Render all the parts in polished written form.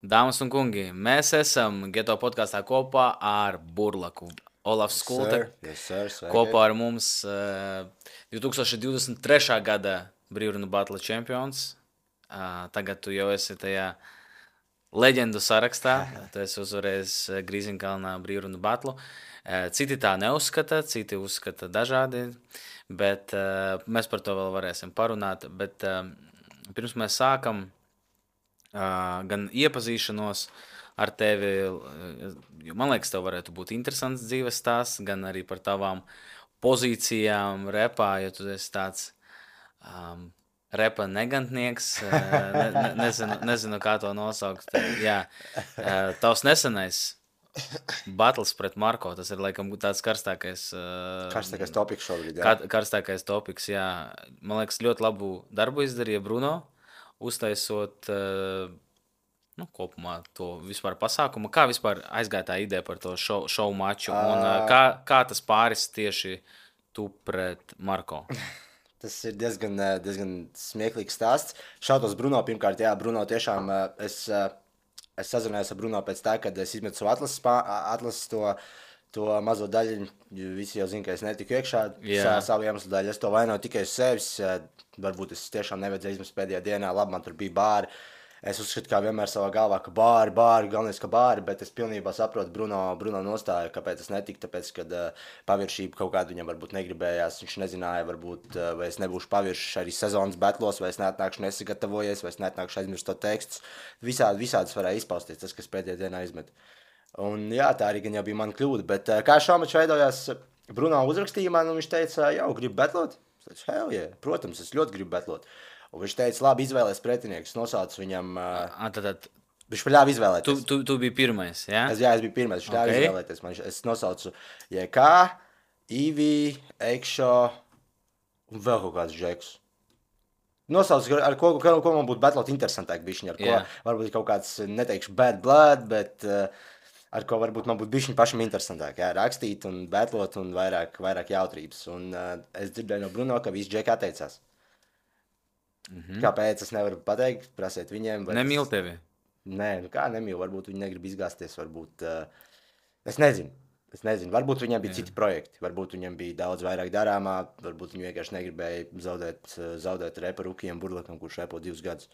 Dāmas un kungi, mēs esam Geto podkāstā kopā ar Burlaku. Olafs Yes, Skulte sir. Yes, sir. Sveiki. kopā ar mums 2023. gada Brīvrunu Battle čempions. Tagad tu jau esi tajā leģendu sarakstā. Tu esi uzvarējis Grīziņkalnā Brīvrunu Battle. Citi tā neuzskata, citi uzskata dažādi, bet mēs par to vēl varēsim parunāt. Bet pirms mēs sākam gan iepazīšanos ar tevi, man liekas, tev varētu būt interesants dzīves stāsts, gan arī par tavām pozīcijām repā, jo tu esi tāds repa negantnieks, nezinu, kā to nosaukt. Jā, tavs nesenais battles pret Marko, tas ir laikam tāds karstākais Karstākais topiks šobrīd, jā. karstākais topiks, jā. Man liekas, ļoti labu darbu izdarīja Bruno, uztaisot kopumā to vispār pasākumu. Kā vispār aizgāja tā ideja par to šovu maču un kā tas pāris tieši tu pret Marko? Tas ir diezgan smieklīgs stāsts. Šautos Bruno pirmkārt, jā, Bruno tiešām es sazinājos ar Bruno pēc tā, kad es izmetu savu atlases to mazo daļu. Visi jau zina, ka es netiku iekšā savu iemeslu daļu. Es to vainoju tikai uz sevis. Varbūt es tiešām nevajadzēju izmest pēdējā dienā. Labi, man tur bija bāri. Es uzskatu, kā vienmēr savā galvā, ka bāri, galvenais, ka bāri, bet es pilnībā saprotu Bruno nostāju, kāpēc es netiku, tāpēc, kad paviršība kaut kādu viņam varbūt negribējās, viņš nezināja, varbūt, vai es nebūšu paviršs arī sezonas betlos, vai es neatnākšu nesagatavojies, vai es neatnākšu aizmirst to tekstu. Visādas varēja izpausties tas, kas pēdējā dienā izmet. Un jā, tā arī gan jau bija mana kļūda, bet kā šāmačs veidojās, Bruno uzrakstīja man, un viņš teica, jau, gribu betlot? Es teicu, hell yeah, protams, es ļoti gribu betlot. Un viņš teica, labi, izvēlēs pretinieku. Es nosaucu viņam. Viņš ļāva izvēlēties. Tu biji pirmais, jā? Es biju pirmais. Viņš ļāva izvēlēties. Es nosaucu JK, Ivi, Ekšo un vēl kaut kāds džekus. Nosaucu, ar ko man būtu betlot interesantāk bišķiņ. Ar ko varbūt kaut kāds, neteikšu bad blood, bet ar ko varbūt man būtu bišķiņ pašam interesantāk. Jā, rakstīt un betlot un vairāk jautrības. Un es dzirdēju no Bruno, ka visi džeki atteicās. Kāpēc es nevaru pateikt, prasiet viņiem. Nemīl tevi? Nē, kā nemīl, varbūt viņi negrib izgāzties, varbūt, es nezinu, varbūt viņiem bija citi projekti, varbūt viņiem bija daudz vairāk darāmā, varbūt viņi vienkārši negribēja zaudēt repa Rukiem Burlakam, kurš repo 2 gadus.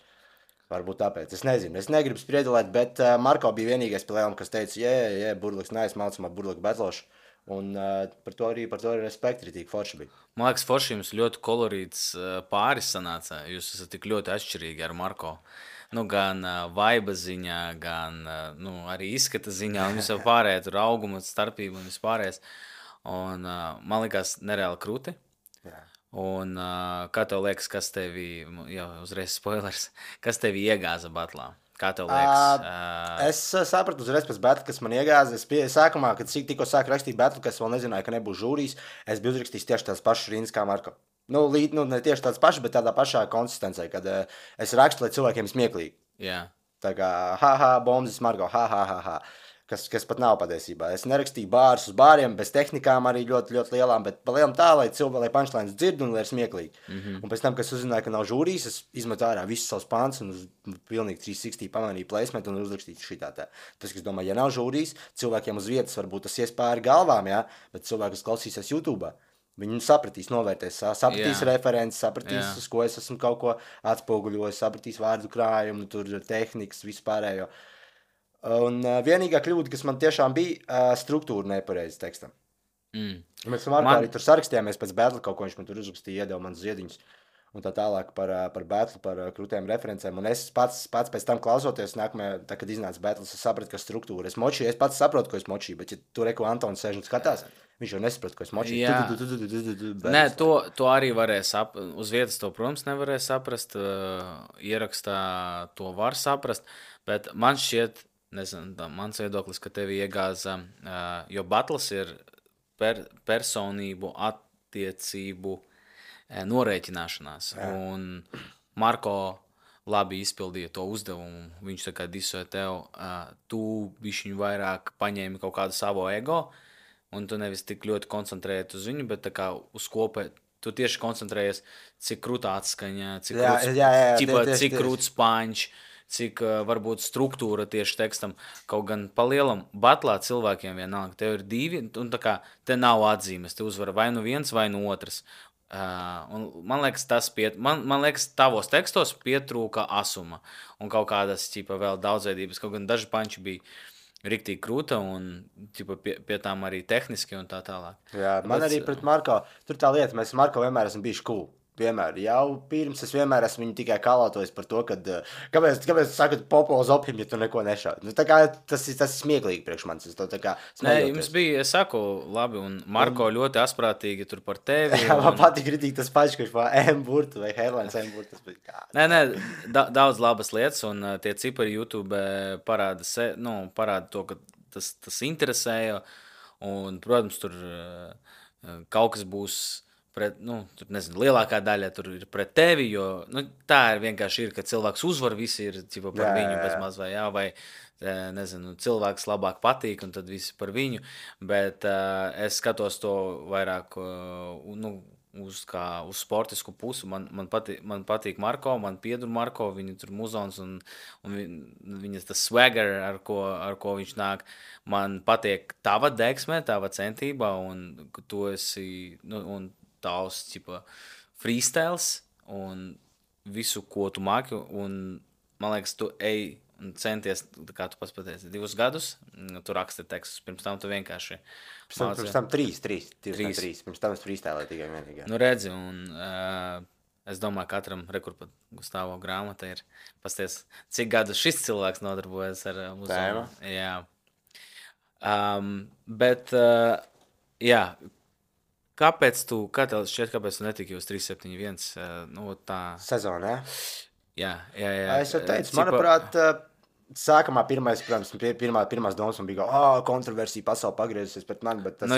Varbūt tāpēc, es nezinu, es negribu spriedulēt, bet Marko bija vienīgais pie Leona, kas teica, Burlaks nice, mācamā Burlaku betlošu. Un par to arī respekti ritīgi forši bija. Man liekas, forši jums ļoti kolorīts pāris sanāca. Jūs esat tik ļoti atšķirīgi ar Marko. Gan vibe ziņā, gan arī izskata ziņā, un vispār pārējā tur auguma starpība un vispārējais. Un man liekas nereāli krūti. Jā. Un kā tev liekas, kas tevi, jau uzreiz spoilers, kas tevi iegāza batlā? Kā tev liekas? Es sapratu uzreiz pēc batla, kas man iegāza. Sākumā, kad tikko sāku rakstīt batlu, kas vēl nezināju, ka nebūs žūrijas, es biju uzrakstījis tieši tās pašas rindas kā Marko. Ne tieši tāds pašs, bet tādā pašā konsistencē, kad es rakstu, lai cilvēkiem smieklīgi. Jā. Tā kā, bombas Marko, kas pat nav patiesībā. Es nerakstīju bārus uz bāriem, bez tehnikām arī ļoti, ļoti lielām, bet pa lielam tā, lai cilvēki, lai punchlines dzird un lai ir smieklīgi. Un pēc tam, kad es uzzināju, ka nav žūrijas, es izmetu ārā visus savus pants un pilnīgi 360 pamanīju placement un uzrakstīju šitā tā. Tas, kas domā, ja nav žūrijas, cilvēkiem uz vietas varbūt tas ies pāri galvām, jā, bet cilvēki, kas klausīsies YouTube, viņi sapratīs, novērtēs, sapratīs references, sapratīs, uz ko es esmu kaut ko atspoguļojis, sapratīs vārdu krājumu, tur tehnikas, vispārējo. Un vienīgā kļūda, kas man tiešām bija, struktūra nepareizi tekstam. Mēs arī tur sarakstījāmies pēc battle, kaut ko viņš man tur uzrakstīja, iedeva man ziediņus un tā tālāk par battle, par krūtējiem referencēm. Un es pats pēc tam klausoties, tā, kad iznāca battles, es sapratu, ka struktūra. Es pats saprotu, ko es močīju, bet ja tur Antons sēž un skatās, viņš jau nesaprot, ko es močīju. Nē, to arī varēja uz vietas to, protams, nevarēja saprast, ierakstā to var saprast, bet man šķiet, nezinu, mans viedoklis, ka tevi iegāza, jo battles ir personību attiecību norēķināšanās. Un Marko labi izpildīja to uzdevumu. Viņš tā kā disoja tev, tu bišķiņu vairāk paņēmi kaut kādu savu ego, un tu nevis tik ļoti koncentrējies uz viņu, bet tā kā uz kopē. Tu tieši koncentrējies, cik krūta atskaņa, cik krūts punch, cik varbūt struktūra tieši tekstam, kaut gan pa lielam batlā cilvēkiem vienalga. Tev ir divi, un tā kā te nav atzīmes, te uzvar vai nu viens, vai nu otrs. Un man liekas, man liekas, tavos tekstos pietrūka asuma un kaut kādas ķipa vēl daudzveidības, kaut gan daži panči bija riktīgi krūta un ķipa, pie tām arī tehniski un tā tālāk. Jā, man arī pret Marko, tur tā lieta, mēs Marko vienmēr esam bijuši cool. Vienmēr, jau pirms es vienmēr esmu viņu tikai kalātojis par to, ka kāpēc sakat Popovs opim, ja tu neko nešādi. Nu, tā kā tas ir smieklīgi priekš manis. Es to tā kā smejoties. Nē, jums bija, es saku, labi, un Marko ļoti asprātīgi tur par tevi. Jā, man patīk kritīgi tas paši, kurš par M-burtu vai Herlēns M-burtu. Tas bija kā. Nē, daudz labas lietas, un tie cipari YouTube parāda to, ka tas interesēja, un, protams, tur kaut kas būs pret, tur, nezinu, lielākā daļa tur ir pret tevi, jo tā ir vienkārši, ka cilvēks uzvar, visi ir par viņu bez maz vai nezinu, cilvēks labāk patīk, un tad visi par viņu, bet es skatos to vairāk, uz sportisku pusi. Man patīk Marko, man piedur Marko, viņa tur muzons un viņas tas swagger, ar ko viņš nāk. Man patīk tava deksme, tava centība, un tu esi, un tavs, freestyles un visu, ko tu māki, un man liekas, tu ej un centies, kā tu pats pateici, 2 gadus, tu raksti tekstus, pirms tam tu vienkārši Pirms tam 3. Pirms tam es freestylēju tikai vienīgi. Nu redzi, un es domāju, katram rekurpat Gustavo grāmata ir, pasties, cik gadus šis cilvēks nodarbojas ar muzeju. Jā. Bet, jā, kāpēc tu netiki uz 371? Tā sezonā, jā? Jā. Es jau teicu, manuprāt, sākumā pirmās domas man bija, kontroversija pasauli pagriezusies pret mani, bet tas,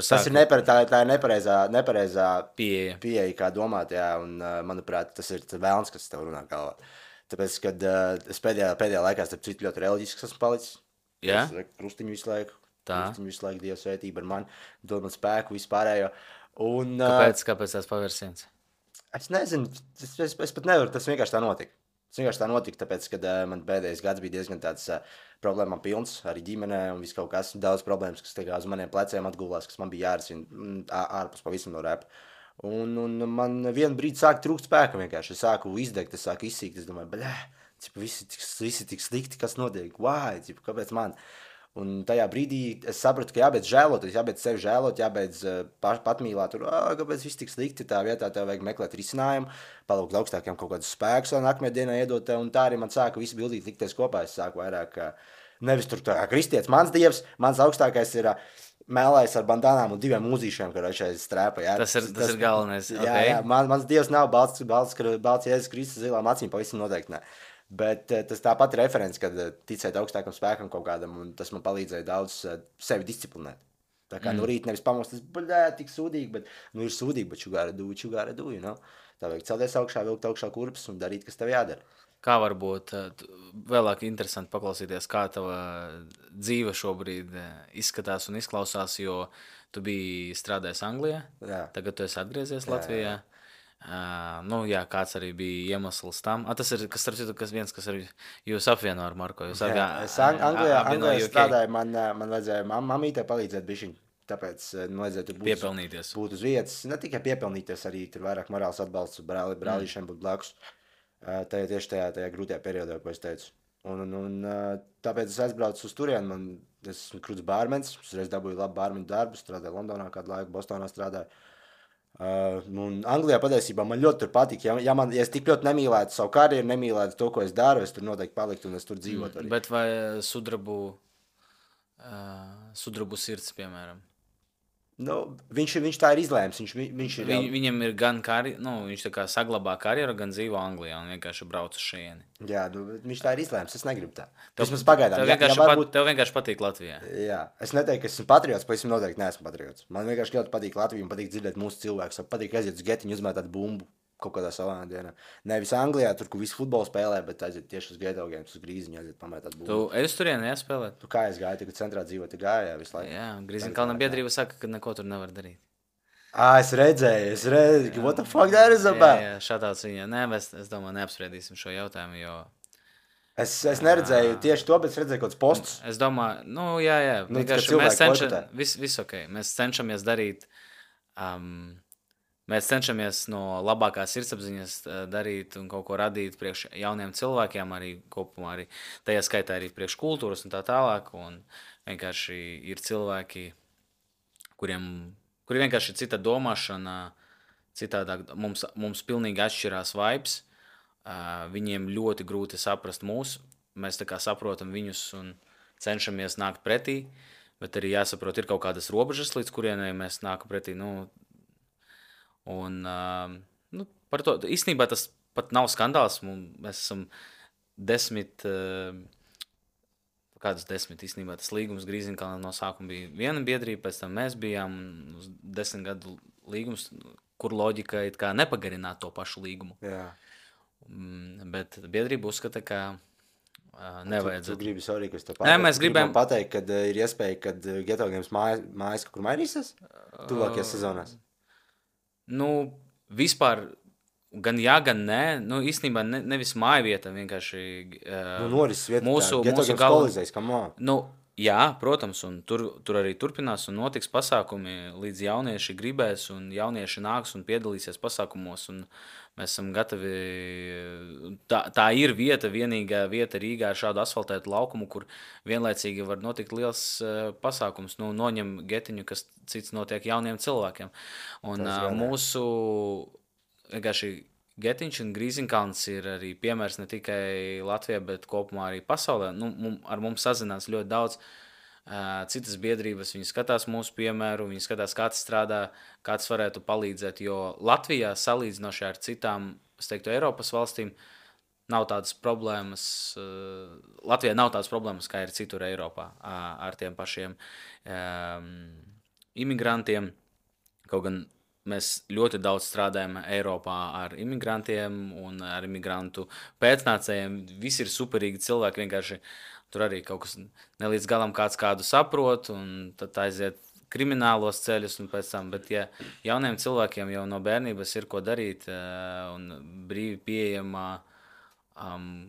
tas ir tā ir nepareizā pieeja, kā domāt, jā, un manuprāt, tas ir vēlns, kas tev runā galvā. Tāpēc, kad es pēdējā laikā starp citu ļoti reliģisks esmu palicis. Jā? Krustiņu visu laiku. Krustiņu visu laiku, Dieva svētība ar mani, dod man spēku, vispārējo. Un, kāpēc tās pavērsiens? Es nezinu, es pat nevaru, tas vienkārši tā notika. Tāpēc, kad man pēdējais gads bija diezgan tāds problēmām pilns, arī ģimenē un viss kaut kas, daudz problēmas, kas uz maniem pleciem atgulās, kas man bija jārisina ārpus pavisam no repa. Un man vienu brīdi sāka trūkt spēka vienkārši. Es sāku izdegt, es sāku izsīkt, es domāju, visi tik slikti, kas notiek, kāpēc man? Un tajā brīdī es sapratu, ka jābeidz žēlot, jābeidz sevi žēlot, jābeidz patmīlāt, kāpēc viss tik slikti, tā vietā tev vajag meklēt risinājumu, palūgt augstākiem kaut kādus spēkus, lai nākamajā dienā iedot tev, un tā arī man sāka visi bildīgi likties kopā. Es sāku vairāk, nevis tur tā kristietis, mans dievs, mans augstākais ir mēlājs ar bandānām un 2 mūzīšiem, kad šeit strēpa. Jā. Tas ir galvenais. Jā, mans dievs nav balts Jēzus Kristus zilām acīm, pavisam noteikti ne. Bet tas tāpat ir referents, kad ticēt augstākam spēkam kaut kādam, un tas man palīdzēja daudz sevi disciplinēt. Tā kā no rīta nevis pamostas, tik sūdīgi, bet ir sūdīgi, bet you gotta do, you know? Tā vajag celties augšā, vilkt augšā kurpes un darīt, kas tev jādara. Kā varbūt vēlāk interesanti paklausīties, kā tava dzīve šobrīd izskatās un izklausās, jo tu biji strādājis Anglijā, tagad tu esi atgriezies Latvijā. Jā, kāds arī bija iemesls tam. Tas ir, kas arī jūs apvieno ar Marko. Es Anglijā strādāju, man vajadzēja mamītē palīdzēt bišķiņ, tāpēc vajadzēja tur būt uz vietas. Ne tikai piepelnīties, arī tur vairāk morāls atbalsts brālīšiem būt blakus. Tieši tajā grūtajā periodā, ko es teicu. Un tāpēc es aizbraucu uz turieni, es esmu krūts bārmens, es reiz dabūju labu bārmeņu darbu, strādāju Londonā kādu laiku, Bostonā strādāju. Un Anglijā patiesībā man ļoti tur patīk. Ja es tik ļoti nemīlētu savu karjeru, nemīlētu to, ko es daru, es tur noteikti paliktu un es tur dzīvotu arī. Bet vai sudrabu sirds, piemēram? Viņš tā ir izlēms. Viņam ir gan viņš tā kā saglabā karjeru, gan dzīvo Anglijā un vienkārši brauc uz šejieni. Jā, viņš tā ir izlēms, es negribu tā. Vismaz pagaidām. Tev vienkārši patīk Latvijā. Jā, es neteiktu, ka esmu patriots, bet es noteikti neesmu patriots. Man vienkārši ļoti patīk Latvija un patīk dzirdēt mūsu cilvēkus. Patīk aiziet uz getiņu, uzmētāt bumbu kaut kādā savā dienā. Nevis Anglijā, tur, kur visu futbolu spēlē, bet aiziet tieši uz geto games, uz grīziņu, aiziet pamētāt bumbu. Tu ej uz turieni, spēlēt? Tu kā es gāju, tagad centrā dzīvo, tu gāju, visu laiku. Jā, Grīziņkalna biedrība saka, ka neko tur nevar darīt. Es redzēju, what the fuck that is about? Jā, šādāds viņa. Nē, es domāju, neapspriedīsim šo jautājumu, jo Es neredzēju tieši to, bet es redzēju kaut kādus postus. Es domāju, jā. Vienkārši viss ok. Mēs cenšamies darīt, mēs cenšamies no labākās sirdsapziņas darīt un kaut ko radīt priekš jauniem cilvēkiem, arī kopumā, arī tajā skaitā arī priekš kultūras un tā tālāk. Un vienkārši ir cilvēki, kuri vienkārši ir cita domāšana, citādāk mums pilnīgi atšķirās vibes. Viņiem ļoti grūti saprast mūs. Mēs tā kā saprotam viņus un cenšamies nākt pretī, bet arī jāsaprot, ir kaut kādas robežas, līdz kurienai mēs nākam pretī. Par to īstenībā tas pat nav skandāls. Mēs esam 10 īstenībā tas līgums Grīziņkalnā no sākuma bija viena biedrība, pēc tam mēs bijām 10 gadu līgums, kur loģika it kā nepagarināt to pašu līgumu. Jā. Bet biedrība uzskata, ka nevajadzētu. Tu gribi, sorry, ka es te pateicu. Mēs gribam pateikt, kad ir iespēja, kad Geto Games mājas kaut kur mainīsies tuvākajās sezonās? Vispār gan jā, gan nē. Īstenībā nevis māja vieta, vienkārši norises vieta, mūsu Games kolizējas, come on. Jā, protams, un tur arī turpinās un notiks pasākumi, līdz jaunieši gribēs un jaunieši nāks un piedalīsies pasākumos, un mēs esam gatavi. Tā ir vienīgā vieta Rīgā ar šādu asfaltētu laukumu, kur vienlaicīgi var notikt liels pasākums. Noņem getiņu, kas cits notiek jauniem cilvēkiem. Un mūsu vienkārši Getiņš un Grīziņkalns ir arī piemērs ne tikai Latvijā, bet kopumā arī pasaulē. Ar mums sazinās ļoti daudz citas biedrības. Viņi skatās mūsu piemēru, viņi skatās, kā tas strādā, kā tas varētu palīdzēt. Jo Latvijā salīdzinoši ar citām, es teiktu, Eiropas valstīm, nav tādas problēmas. Latvijā nav tādas problēmas, kā ir citur Eiropā ar tiem pašiem imigrantiem. Kaut gan mēs ļoti daudz strādājam Eiropā ar imigrantiem un ar imigrantu pēcnācējiem. Visi ir superīgi cilvēki, vienkārši tur arī kaut kas nelīdz galam kādu saprot, un tad aiziet kriminālos ceļus un pēc tam. Bet ja jauniem cilvēkiem jau no bērnības ir ko darīt un brīvi pieejamā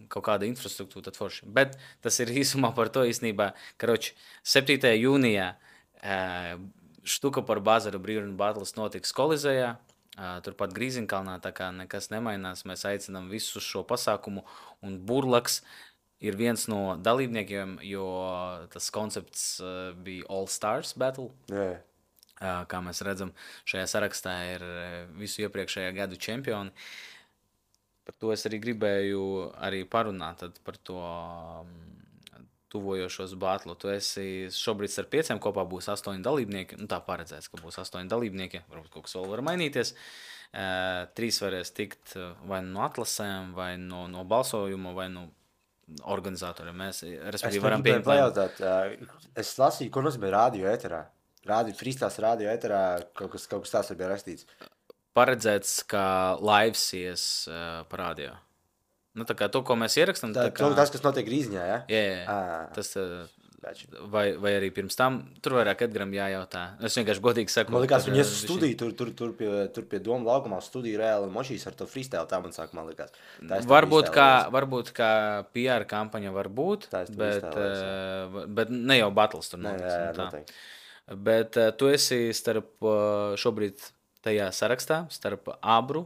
kaut kāda infrastruktūra, tad forši. Bet tas ir īsumā par to īstenībā, karoči 7. jūnijā štuka par bazaru Brīvrunas batles notiks Kolizejā, turpat Grīziņkalnā, tā kā nekas nemainās. Mēs aicinām visus šo pasākumu, un Burlaks ir viens no dalībniekiem, jo tas koncepts bija All Stars Battle. Yeah. Kā mēs redzam, šajā sarakstā ir visu iepriekšējā gadu čempioni. Par to es arī gribēju arī parunāt par to tuvojošos batlu. Tu esi šobrīd ar 5 kopā būs 8 dalībnieki. Tā paredzēts, ka būs 8 dalībnieki. Varbūt kaut kas vēl var mainīties. 3 varēs tikt vai no atlasēm, vai no balsojuma, vai no organizatoriem. Mēs, respektīvi, varam pieņemt. Pajautāt, es lasīju, ko nozīmē radio ēterā. Frīstās radio ēterā kaut kas tās bija rakstīts. Paredzēts, ka lives ies par radio. Tā kā to, ko mēs ierakstam. Tas, kas notiek Grīziņā, ja? Jā. Tas, vai arī pirms tam, tur vairāk Edgaram jājautā. Es vienkārši godīgi saku. Man likās, viņi ies uz studiju, tur pie Doma laukumā studiju reāli močīs ar to freestyle, tā man saka, man likās. Varbūt kā PR kampaņa var būt, bet ne jau battles tur notiks. Bet tu esi šobrīd tajā sarakstā, starp Abru,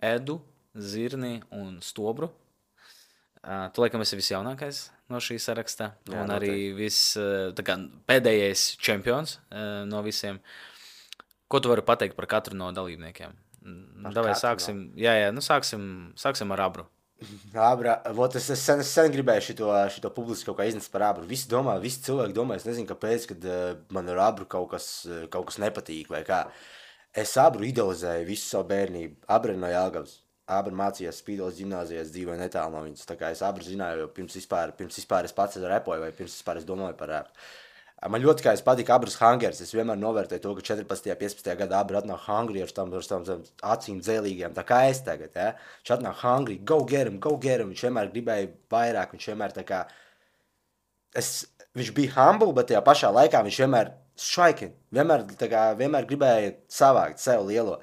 Edu, Zirni un Stobru. Tu laikam esi visjaunākais no šī sarakstā. Jā, un arī pēdējais čempions no visiem. Ko tu vari pateikt par katru no dalībniekiem? Davai sāksim. Sāksim ar Abru. Abra, es sen gribēju šito publiski kaut kā iznest par Abru. Visi cilvēki domā, es nezinu, kāpēc, kad man ar Abru kaut kas nepatīk vai kā. Es Abru idealizēju visu savu bērnību. Abra no Jelgavas. Abra mācījās Spīdolas ģimnāzijās, dzīvoja netālu no viņas. Tā kā es Abru zināju, jo pirms vispār es pats repoju vai pirms vispār es domāju par Abru. Man ļoti kā es patīk Abras hangers. Es vienmēr novērtēju to, ka 14. 15. gadā Abra atnāk hungry ar tām acīm dzēlīgiem. Tā kā es tagad, ja? Viņš atnāk hungry, go get him. Viņš vienmēr gribēja vairāk, viņš vienmēr tā kā... Viņš bija humble, bet tajā pašā laikā viņš vienmēr striking. Vienmēr gribēja savākt sev lielo.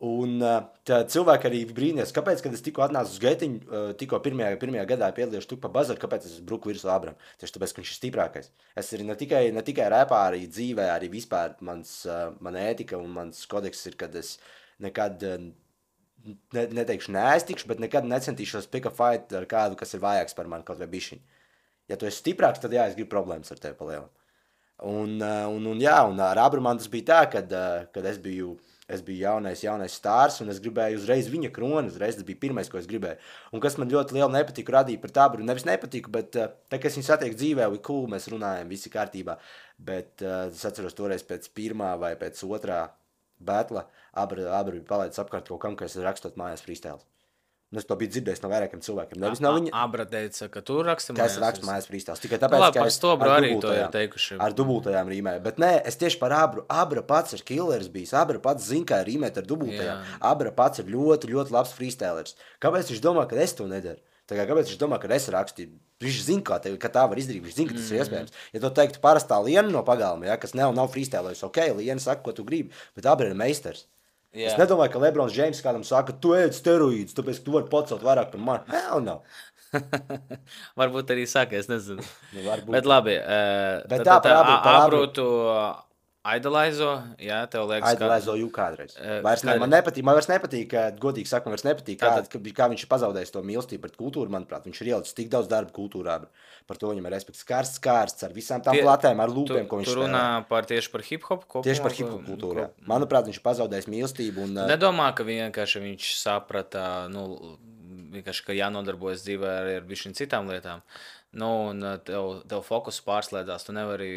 Un tā cilvēki arī brīnījās, kāpēc, kad es tikko atnācu uz Getiņu, tikko pirmajā gadā piedalījos Tukpa bazaru, kāpēc es bruku virsū Abram. Tieši tāpēc, ka viņš ir stiprākais. Es arī ne tikai repā, arī dzīvē, arī vispār mana ētika un mans kodeks ir, kad es nekad, neteikšu neaiztikšu, bet nekad necentīšos pick a fight ar kādu, kas ir vājāks par mani, kaut vai bišķiņ. Ja tu esi stiprāks, tad jā, es gribu problēmas ar tevi palielam. Un ar Abramu tas bija tā, kad es biju jaunais stārs, un es gribēju uzreiz viņa kroni, uzreiz tas bija pirmais, ko es gribēju. Un kas man ļoti lielu nepatiku radīja par Abru, nevis nepatiku, bet tā, kad es viņu satieku dzīvē, bija cool, mēs runājam, visi kārtībā, bet es atceros toreiz pēc pirmā vai pēc otrā batla, Abra bija palaidis apkārt kaut kam, ka es rakstot mājās freestyles. Un es to biju dzirdējis no vairākiem cilvēkiem. Nevis no viņa. Abra teica, ka tu raksti mājās. Ka es rakstu mājās freestyles. Tikai tāpēc, ka es ar dubultajām rīmēju. Bet nē, es tieši par Abru. Abra pats ir killeris bijis. Abra pats zina, kā rīmēt ar dubultajām. Abra pats ir ļoti, ļoti labs freestylers. Kāpēc viņš domā, ka es to nedaru? Kāpēc viņš domā, ka es rakstīju? Viņš zina, ka tā var izdarīt. Viņš zina, ka tas ir iespējams. Ja tu teiktu parastā Liena no pagalma, ja, kas nav freestylers, ok, Liena saka, ko tu gribi, bet Abra ir meistars. Yeah. Es nedomāju, ka Lebrons Džeims kādam saka, tu ēd steroīdus, tāpēc, ka tu vari pacelt vairāk par mani. Hell no. Varbūt arī saka, es nezinu. Varbūt. Bet labi. Bet tā par Abru tu idolizo, jā, tev liekas, idolizo jū kādreiz. Man vairs nepatīk, godīgi sakot, man vairs nepatīk, kā viņš ir pazaudējis to mīlestību pret kultūru, manuprāt. Viņš ir ielicis tik daudz darba kultūrā. Par to viņam ir respekts kārsts ar visām tām platēm, ar lūpēm, ko viņš spēlē. Tu runā tieši par hip-hop? Tieši par hip-hop kultūru, jā. Manuprāt, viņš ir pazaudējis mīlestību. Nedomā, ka vienkārši viņš saprata, vienkārši, ka jānodarbojas dzīvē ar višķiņ citām lietām. Un tev fokus pārslēdzās, tu nevari...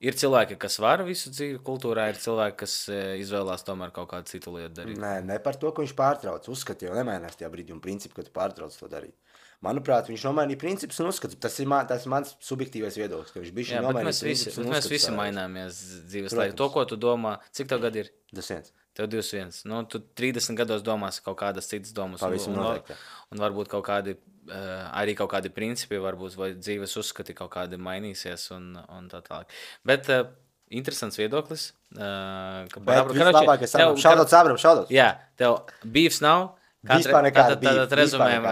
Ir cilvēki, kas var visu dzīvi kultūrā, ir cilvēki, kas izvēlās tomēr kaut kādu citu lietu darīt. Nē, ne par to, ka viņš pārtrauc. Uzskati jau nemainās tajā brīdī un principu, ka tu pārtrauc to darīt. Manuprāt, viņš nomainīja principus un uzskatu. Tas ir mans subjektīvais viedoklis, ka viņš bija nomainījis principus un uzskatu. Mēs visi maināmies dzīves laikā. To, ko tu domā, cik tev gadi ir? 21. Tev 21. Tu 30 gados domās kaut kādas citas domas. Un varbūt kaut kādi, arī kaut kādi principi, varbūt vai dzīves uzskati kaut kādi mainīsies un tā tālāk. Bet interesants viedoklis. Bet vislabākais šaudots. Jā, tev beefs nav. Tad rezumējam,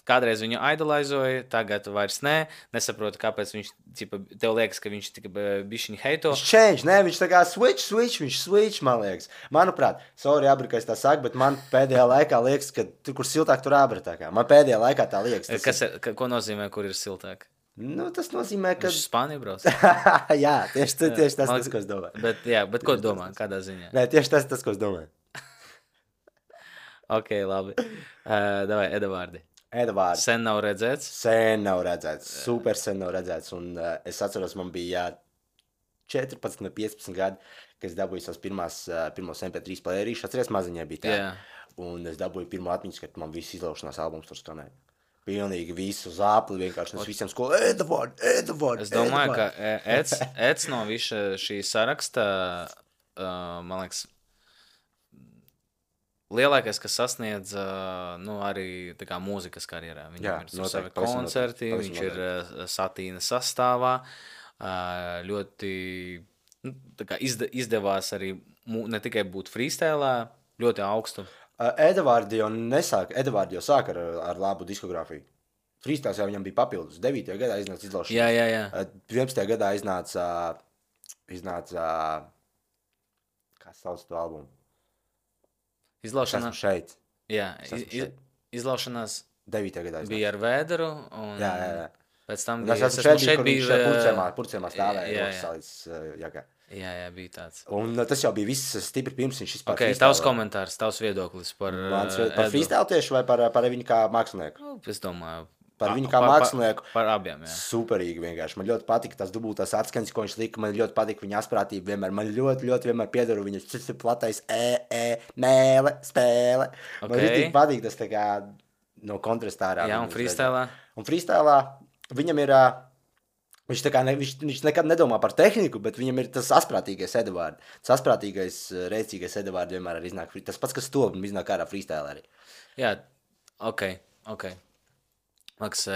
kādreiz viņu idolizoja, tagad vairs nē. Nesaprotu, kāpēc viņš, tev liekas, ka viņš tikai bišķiņ heito. Viņš tā kā switch, man liekas. Manuprāt, sorry, Abra, ka es tā saku, bet man pēdējā laikā liekas, ka tur, kur siltāk, tur Abra tā kā. Man pēdējā laikā tā liekas. Ko nozīmē, kur ir siltāk? Tas nozīmē, ka... Viņš uz Spāniju brauc? Jā, tieši tas, ko es domāju. Bet ko domā, kādā ziņā? Nē, tieši tas, ko es domāju. Ok, labi. Davai, Edvardi. Sen nav redzēts? Sen nav redzēts. Super sen nav redzēts. Un es atceros, man bija 14 vai 15 gadi, kad es dabūju savus pirmos MP3 playerīšus. Atceries, maziņai bija tā. Yeah. Un es dabūju pirmo atmiņas, kad man viss izlaušanās albums tur skanēja. Pilnīgi visu zāpli vienkārši. Es visiem skolu, Edvardi. Es domāju, ka Eds no visa šī saraksta, man liekas, lielākais, kas sasniedz arī tā kā mūzikas karjerā. Viņam ir savi koncerti, viņš ir Satīna sastāvā. Ļoti tā kā izdevās arī ne tikai būt freestylā, ļoti augstu. Edvardi jau sāka ar labu diskogrāfiju. Freestyles jau viņam bija papildus. 9. gadā iznāca izlaušanās. Jā. 11. gadā iznāca kā sauc to albumu? Izlaušanās. Esmu šeit. Jā, izlaušanās 9. gadā bija ar Vēderu. Jā. Pēc tam bija, es šeit bija purcēmā stāvēja. Jā, bija tāds. Un tas jau bija viss stipri pirms viņš vispār freestyle. Tavs komentārs, tavs viedoklis par freestyle tieši vai par viņu kā mākslinieku? Es domāju. Par viņu kā mākslinieku. Par abiem, jā. Superīgi vienkārši. Man ļoti patika tas dubultās atskaņas, ko viņš lika. Man ļoti patika viņa asprātība vienmēr. Man ļoti vienmēr piedaru viņas platais mēle, spēle. Okay. Man ļoti patīk tas tā kā no kontrastā ārā. Jā, un freestylā? Un freestylā viņam ir... Viņš nekad nedomā par tehniku, bet viņam ir tas asprātīgais Edvards. Tas asprātīgais, rēcīgais Edvards vienmēr arī iznāk. Tas pats, kas to iznāk ārā freestyle arī. Jā, ok. Maks,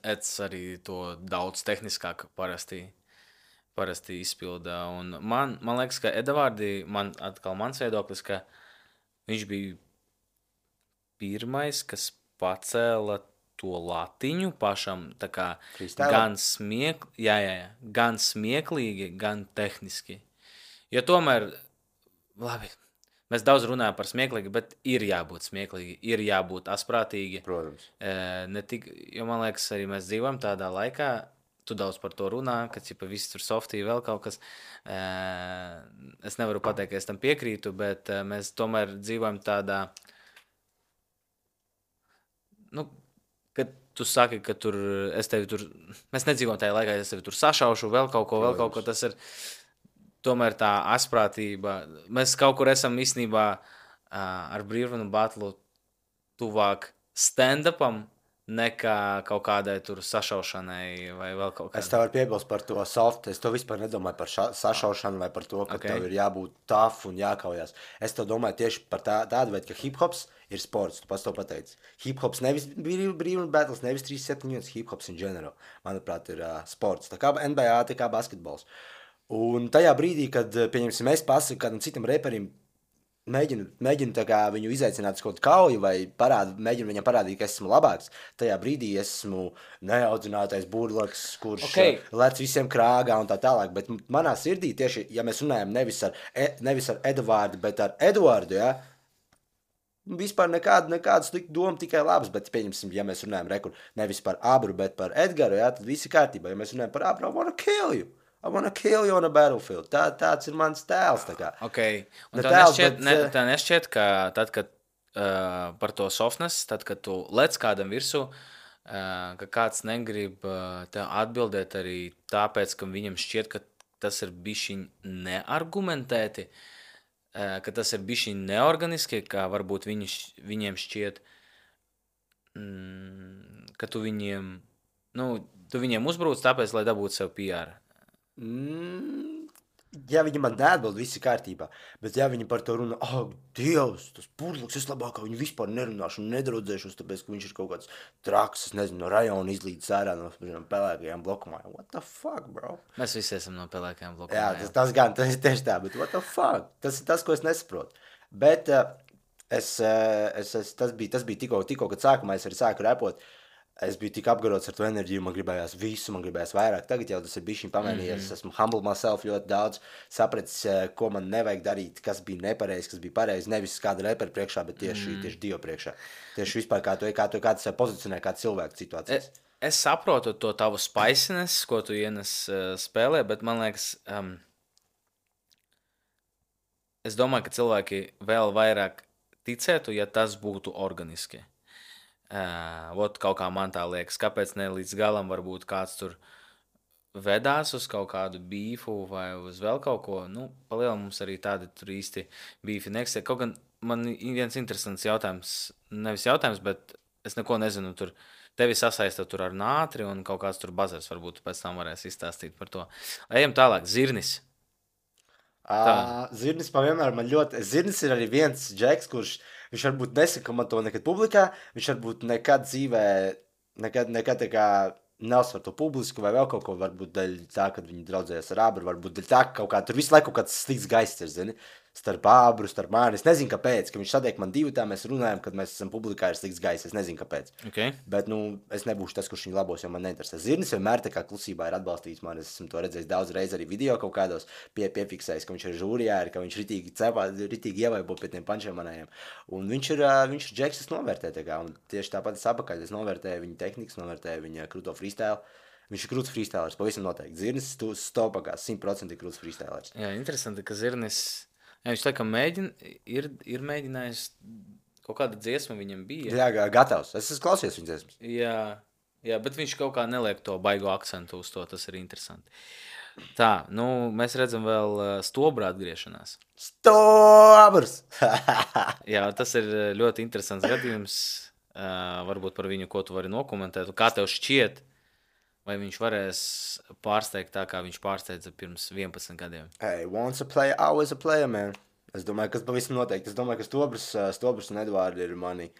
Eds arī to daudz tehniskāk parasti izpilda. Un man liekas, ka Edvardi, mans viedoklis, ka Viņš bija pirmais, kas pacēla to latiņu pašam, tā kā Freestyle? gan smieklīgi, gan tehniski. Jo tomēr, labi, mēs daudz runājam par smieklīgi, bet ir jābūt smieklīgi, ir jābūt asprātīgi. Protams. Jo man liekas, arī mēs dzīvojam tādā laikā, tu daudz par to runā, ka cipa viss tur softī vēl kaut kas. Es nevaru pateikt, ka es tam piekrītu, bet mēs tomēr dzīvojam tādā, nu, kad tu saki, ka tur es tevi tur, mēs nedzīvojam tajā laikā, es tevi tur sašaušu, vēl kaut ko, tas ir tomēr tā asprātība. Mēs kaut kur esam īstenībā ar Brīvrunu batlu tuvāk stand-upam nekā kaut kādai tur sašaušanai vai vēl kaut Es kādai. tev varu piebilst par to soft. Es to vispār nedomāju par sašaušanu vai par to, ka Ok. tev ir jābūt tough un jākaujās. Es to domāju tieši par tādu veidu, ka hip-hops ir sports. Tu pats to pateici. Hip-hops nevis brīvības battles, nevis 3-7 minūtes. Hip-hops in general, manuprāt, ir sports. Tā kā NBA, tā kā basketbols. Un tajā brīdī, kad, pieņemsim, es pasaku kādam citam reperim, mēģinu tā kā viņu izaicināt uz kaut kādu kauju vai mēģinu viņam parādīt, ka esmu labāks. Tajā brīdī esmu neaudzinātais burlaks, kurš lec visiem krāgā un tā tālāk. Bet manā sirdī tieši, ja mēs runājam nevis ar Edvardu, bet ar Eduardu, ja, vispār nekāda slikta doma, tikai labs. Bet, pieņemsim, ja mēs runājam nevis par Abru, bet par Edgaru, ja, tad viss ir kārtībā. Ja mēs runājam par Abru, I wanna kill you. I wanna kill you on a battlefield. Tāds ir mans tēls. Okay. Un Ne tā tēls, nešķiet, bet, tā nešķiet, ka tad, kad par to softness, tad, kad tu lec kādam virsū, ka kāds negrib tev atbildēt arī tāpēc, ka viņam šķiet, ka tas ir bišķiņ neargumentēti, ka tas ir bišķiņ neorganiski, ka varbūt viņiem šķiet, ka tu viņiem uzbrūc tāpēc, lai dabūtu sev PR. Ja viņi man neatbild, viss ir kārtībā. Bet, ja viņi par to runā, Dievs, tas burlaks, es labāk viņu vispār nerunāšu un nedraudzēšos, tāpēc, ka viņš ir kaut kāds traks, es nezinu, no rajona izlīdz ārā no pelēkajām blokumājām. What the fuck, bro? Mēs visi esam no pelēkajām Jā, blokumājām. tas ir tieši tā, bet what the fuck? Tas ir tas, ko es nesaprotu. Bet tas bija tikko, kad sākumā es arī sāku repot. Es biju tik apgarots ar to enerģiju, man gribējās visu, man gribējās vairāk. Tagad jau tas ir bijis pamainījies. Es esmu humble myself ļoti daudz, sapratis, ko man nevajag darīt, kas bija nepareizi, kas bija pareizi. Nevis kāda repera priekšā, bet tieši Dievu priekšā. Tieši vispār kā tu sev pozicionē, kā cilvēku situācijas. Es saprotu to tavu spiciness, ko tu ienes spēlē, bet man liekas, es domāju, ka cilvēki vēl vairāk ticētu, ja tas būtu organiski. Kaut kā man tā liekas, kāpēc ne līdz galam varbūt kāds tur vedās uz kaut kādu bīfu vai uz vēl kaut ko. Nu, palielam mums arī tādi tur īsti bīfi neksē. Kaut gan man viens interesants jautājums, nevis jautājums, bet es neko nezinu tur. Tevi sasaista tur ar nātri un kaut kāds tur bazars, varbūt pēc tam varēs izstāstīt par to. Ejam tālāk, zirnis. Zirnis pavienmēr man ļoti... Zirnis ir arī viens džeks, kurš viņš varbūt nesaka man to nekad publikā, viņš varbūt nekad dzīvē, nekad tā kā neuzsver to publisku vai vēl kaut ko, varbūt dēļ tā, kad viņi draudzējās ar Abru, varbūt dēļ tā, ka kaut kā tur visu laiku kaut kāds slikts gaists ir, zini, starp Abru, starp mani. Es nezinu, kāpēc, ka viņš satiek man divu tā, mēs runājam, kad mēs esam publikā ir slikts gaists, es nezinu, kāpēc. Okay. Bet, es nebūšu tas, kurš viņu labos, jo man neinteresē. Zirnis vienmēr tā kā klusībā ir atbalstījis mani, es esmu to redzējis daudz reiz arī video kaut kādos piefiksējis, ka viņš ir žūrijā, ka viņš ritīgi ievaibo pie tiem pančiem manējiem. Un viņš ir džeks, es novērtēju tā kā, un tieši tāpat es apakaļ, es novērtēju viņa tehnikas, novērtēju viņa krūto freestyle. Viņš ir krūts freestylers, pavisam noteikti. Zirnis stopakā 100% ir krūts freestylers. Jā, interesanti, ka Zirnis, viņš laikam ir mēģinājis kaut kāda dziesma viņam bija. Jā, gatavs. Es esmu klausies viņa dziesmas. Jā, bet viņš kaut kā neliek to baigo akcentu uz to, tas ir interesanti. Tā, mēs redzam vēl stobra atgriešanās. Stobrs! Jā, tas ir ļoti interesants gadījums. Varbūt par viņu, ko tu vari nokomentēt. Kā tev šķiet, vai viņš varēs pārsteigt tā, kā viņš pārsteidza pirms 11 gadiem? Hey, once a player, always a player, man. Es domāju, kas pavisam noteikti. Es domāju, ka Stobrs un Edvardi ir mani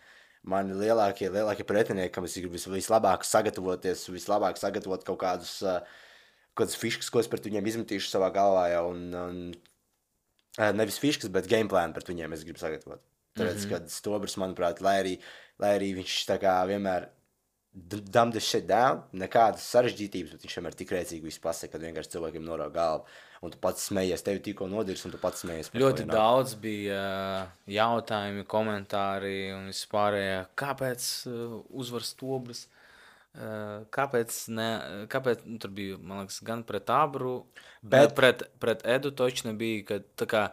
lielākie pretinieki, kam es gribu vislabāk sagatavoties, vislabāk sagatavot kaut kādas fiškas, ko es pret viņiem izmetīšu savā galvā jau. Un nevis fiškas, bet game plānu pret viņiem es gribu sagatavot. Tāpēc, kad Stobrs, manuprāt, lai arī viņš tā kā vienmēr dumb this shit down, nekādas sarežģītības, bet viņš vienmēr tik rēcīgi visu pasaka, kad vienkārši cilvēkiem norauj galvu. Un tu pats smejies, tevi tikko nodirs, un tu pats smejies. Ļoti daudz bija jautājumi, komentāri un vispārējā. Kāpēc uzvar Stobrs? Kāpēc tur bija, man liekas, gan pret Abru, bet pret Edu toči nebija, ka tā kā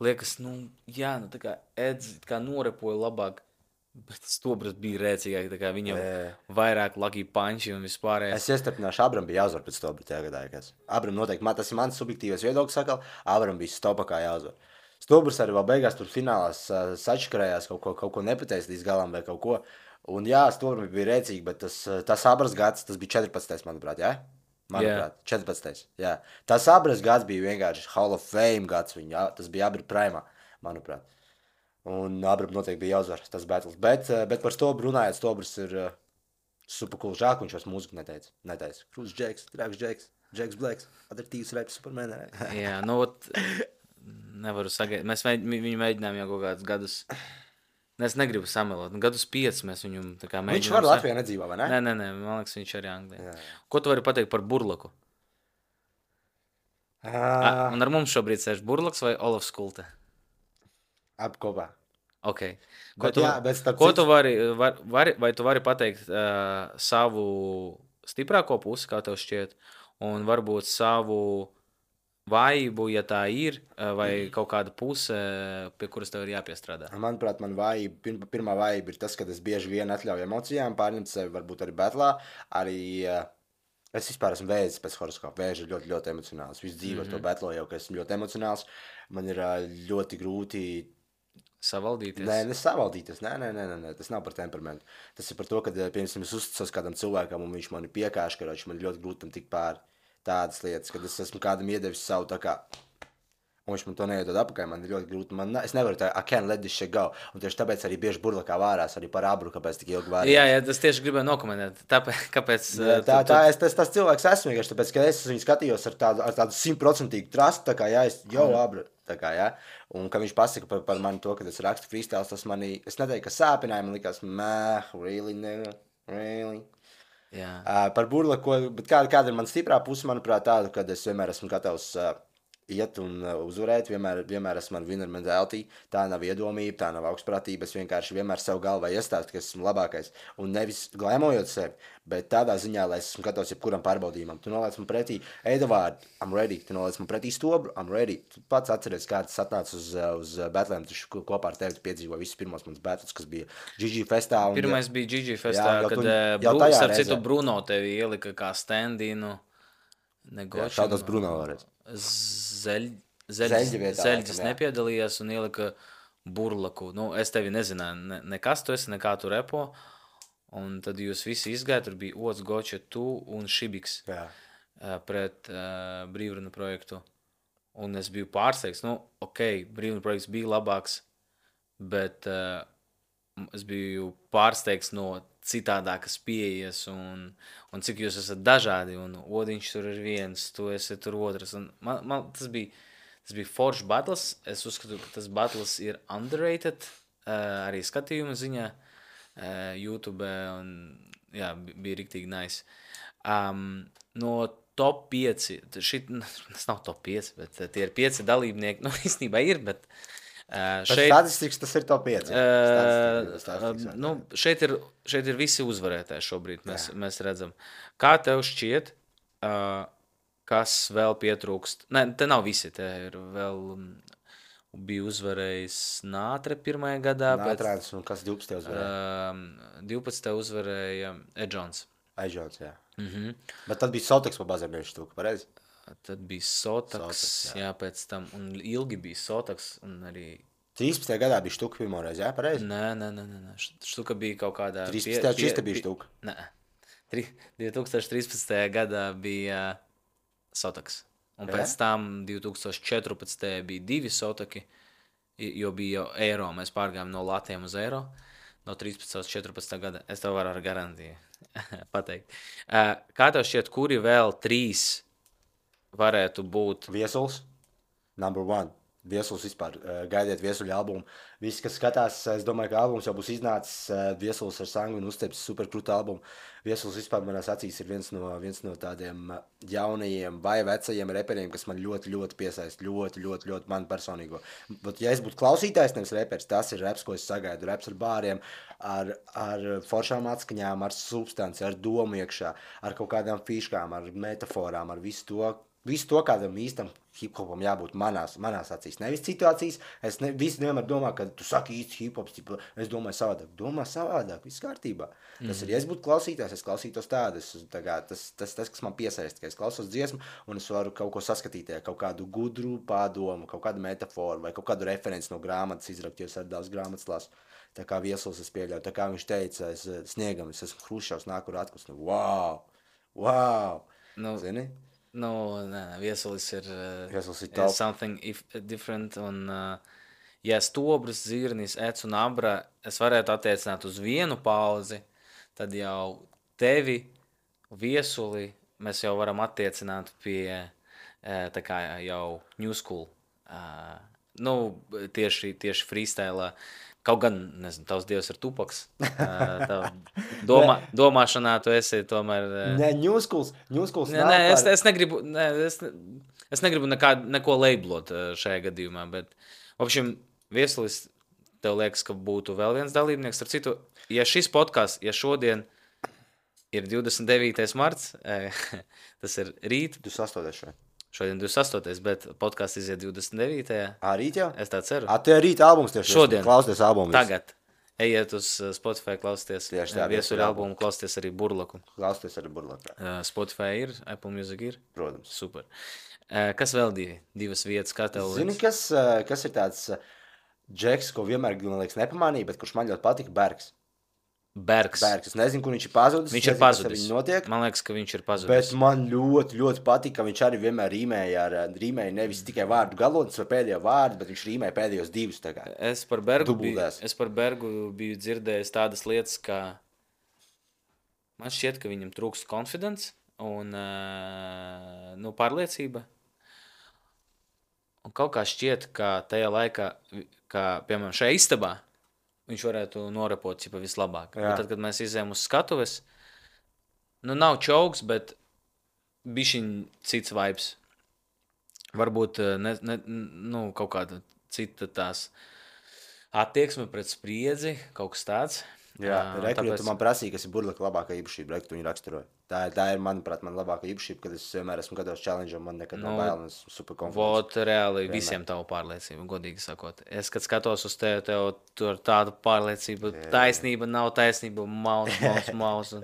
liekas, tā kā Eds kā norepoja labāk. Bet Stobrs bija rēcīgāk, tā kā viņam vairāk lucky punchi un vispārējais. Es iestarpināšu, Abram bija jāuzvar pēc Stobra tajā gadā. Abram noteikti, tas ir mans subjektīvais viedoklis, sakal, Abram bija stopakā jāuzvar. Stobrs arī vēl beigās tur finālās sačakarējās, kaut ko nepateicis līdz galam vai kaut ko. Un jā, Stobram bija rēcīgi, bet tas Abras gads, tas bija 14. manuprāt, jā? Manuprāt, 14. Jā. Tas Abras gads bija vienkārši Hall of Fame gads, tas bija Abra primā, manuprāt. Un Abram noteikti bija jāuzvar tas battles. Bet par Stobru runājot, Stobrs ir super cool. Žāk, viņš vairs mūziku neteica. Cruise Jakes, Drags Jakes, Jakes Blacks, adaptīvs rap Superman. Jā, nevaru sagaidīt. Mēs viņu mēģinājām jau kaut kādus gadus. Es negribu samelot. Gadus 5 mēs viņu tā kā mēģinām. Viņš var Latvijā nedzīvā, vai ne? Nē, man liekas, viņš arī Anglijā. Ko tu vari pateikt par Burlaku? Un ar mums šobrīd sēž Burlaks vai Olafs Kulte? Abi kopā. Okay. Ko tu vari pateikt savu stiprāko pusi, kā tev šķiet, un varbūt savu vājību, ja tā ir, vai kaut kāda puse, pie kuras tev ir jāpiestrādā? Manuprāt, pirmā vājība ir tas, ka es bieži vien atļauju emocijām, pārņemt sevi varbūt arī betlā, es vispār esmu vēzis pēc horoskopa. Vēži ir ļoti, ļoti emocionāls. Visu dzīvi ar to betlo jau, ka esmu ļoti emocionāls. Man ir ļoti grūti savaldīties? Nē, savaldīties. Nē, tas nav par temperamentu. Tas ir par to, ka, piemēram, es uzticos kādam cilvēkam, un viņš mani piekāš, ka man ļoti grūti tam tikt pāri tādas lietas, kad es esmu kādam iedevis savu tā kā, un viņš man to neiedod apakaļ, man ir ļoti grūti. Es nevaru tā, I can't let this shit go. Un tieši tāpēc arī bieži Burlakā vārās, arī par Abru, kāpēc tik ilgi vārījās. Jā, tas tieši gribēju nokomentēt. Kāpēc? Tas cilvēks esmu vienkārši, tāpēc, ka es viņu skatījos ar tādu 100% trustu, tā kā, jā, Abra, tā kā, jā. Un, kad viņš pasaka par mani to, ka es rakstu freestyles, tas mani, es neteiktu, ka sāpināja, man likās, really? Jā. Par Burlaku, bet kāda ir man stiprā puse, manuprāt, tāda, kad es vienmēr esmu gatavs iet un uzvarēt, vienmēr esmu man winner mentality, tā nav iedomība, tā nav augstprātība, es vienkārši vienmēr sev galvā iestāstu, ka esmu labākais, un nevis glēmojot sevi, bet tādā ziņā, lai es esmu gatavs jebkuram pārbaudījumam. Tu noliec man pretī Edvārdu, I'm ready, tu noliec man pretī Stobru, I'm ready. Tu pats atceries, kā tas atnāca uz batlēm, tu kopā ar tevi piedzīvoji visus pirmos manas battles, kas bija GG Festā. Pirmais bija GG Festā, kad starp citu Bruno tevi ielika kā stand-inu. Šādos Bruno varēs. Zeļģis nepiedalījās un ielika Burlaku. Es tevi nezināju, nekas tu esi, nekā tu repo. Un tad jūs visi izgāja, tur bija Ots, Goča, tu un Šibiks pret Brīvruna projektu. Un es biju pārsteigts. Brīvruna projekts bija labāks, bet es biju pārsteigts no citādākas pieejas un cik jūs esat dažādi, un Odiņš tur ir viens, tu esi tur otrs. Un man tas bija foršs battles. Es uzskatu, ka tas battles ir underrated, arī skatījuma ziņā YouTube, un jā, bija riktīgi nice. No top 5, tas nav top 5, bet tie ir 5 dalībnieki, īstenībā ir, bet statistikas tas ir top 5. Šeit ir visi uzvarētāji šobrīd, mēs redzam. Kā tev šķiet, kas vēl pietrūkst? Nē, te nav visi, te ir vēl bija uzvarējis Nātre pirmajā gadā. Nātrēns, un kas 12. uzvarēja? 12. uzvarēja Edžons. Edžons, jā. Bet tad bija Sotaks pa bazarniešu štuku, pareizi? Tad bija Sotaks, jā, pēc tam, un ilgi bija Sotaks, un arī... 13. gadā bija štuka pirmoreiz, jā, pareizi? Nē, štuka bija kaut kādā... 13. čista bija štuka? Nē, 2013. gadā bija Sotaks, un pēc tam 2014. bija 2 Sotaki, jo bija jau eiro, mēs pārgājām no latiem uz eiro, no 13. uz 14. gada, es tev varu ar garantiju pateikt. Kā tev šķiet, kuri vēl 3 varētu būt? Viesuls, number 1. Viesuls vispār, gaidiet Viesuļa albumu. Visi, kas skatās, es domāju, ka albums jau būs iznācis. Viesulis ar Sangvinu uzteicis superkrūtu albumu. Viesulis vispār manās acīs ir viens no tādiem jaunajiem vai vecajiem reperiem, kas man ļoti, ļoti piesaista. Ļoti, ļoti, ļoti man personīgo. Bet, ja es būtu klausītājs, nevis reperis, tas ir reps, ko es sagaidu. Reps ar bāriem, ar foršām atskaņām, ar substanci, ar domu iekšā, ar kaut kādām fiškām, ar metaforām, ar visu to. Visu to, kādam īstam hip-hopam jābūt manās acīs. Nevis situācijas. Visi vienmēr domā, ka tu saki īsti hip-hops. Es domāju savādāk. Domā savādāk. Viss kārtībā. Tas ir, ja es būtu klausītājs, es klausītos tādu. Tas, kas man piesaista, ka es klausos dziesmu un es varu kaut ko saskatīt, kaut kādu gudru pārdomu, kaut kādu metaforu vai kaut kādu referenci no grāmatas izrakt, jo es ar daudz grāmatas lasu. Tā kā Viesulis es pieļauju. Tā kā viņš teica, es sniegam, es esmu Hruščovs, nāku ar atklāsni. Wow! Zini? Viesulis ir top. Something different. Un, ja Stobrs, Zirnis, Ec un Abra es varētu attiecināt uz vienu pauzi, tad jau tevi, Viesuli, mēs jau varam attiecināt pie tā kā jau New School. Tieši freestyle. Kaut gan, nezinu, tavs dievs ir Tupaks. Domāšanā tu esi tomēr... Nē, New Schools es negribu neko leiblot šajā gadījumā, bet, apšiem, Viesulis, tev liekas, ka būtu vēl viens dalībnieks. Ar citu, ja šis podcasts, ja šodien ir 29. marts, tas ir rīt. 28. šodien. Šodien 28. bet podcasts iziet 29. Rīt jau? Es tā ceru. Te ir rīt albums tieši. Šodien. Klausties albumu. Tagad. Ejiet uz Spotify, klausties Viesuļa albumu, klausties arī Burlaku. Klausties arī Burlaku. Spotify ir, Apple Music ir? Protams. Super. Kas vēl divas vietas, kā tev? Zini, kas ir tāds džeks, ko vienmēr, man liekas, nepamanīja, bet kurš man ļoti patika, Bergs. Bergs. Es nezinu, kur viņš ir pazudis. Viņš ir pazudis. Man liekas, ka viņš ir pazudis. Bet man ļoti, ļoti patika, ka viņš arī vienmēr rīmēja nevis tikai vārdu galotnes vai pēdējo vārdu, bet viņš rīmēja pēdējos divus. Es par Bergu biju dzirdējis tādas lietas, ka man šķiet, ka viņam trūkst confidence un pārliecība. Un kaut kā šķiet, ka tajā laikā, piemēram, šajā istabā, viņš varētu norepot vislabāk. Bet tad, kad mēs izējām uz skatuves, nav čauks, bet bišķiņ cits vibes. Varbūt kaut kāda cita tās attieksme pret spriedzi, kaut kas tāds. Jā, tāpēc... tu man prasīji, kas ir Burlaka labākā īpašība, tu viņu raksturoji. Tā ir, manuprāt, man labākā īpašība, kad es vienmēr esmu gatavs challenge, un man nekad nav bail, un es super confidence. Reāli visiem tavu pārliecību, godīgi sakot. Es, kad skatos uz tev tur tādu pārliecību, taisnība, nav taisnība, maus.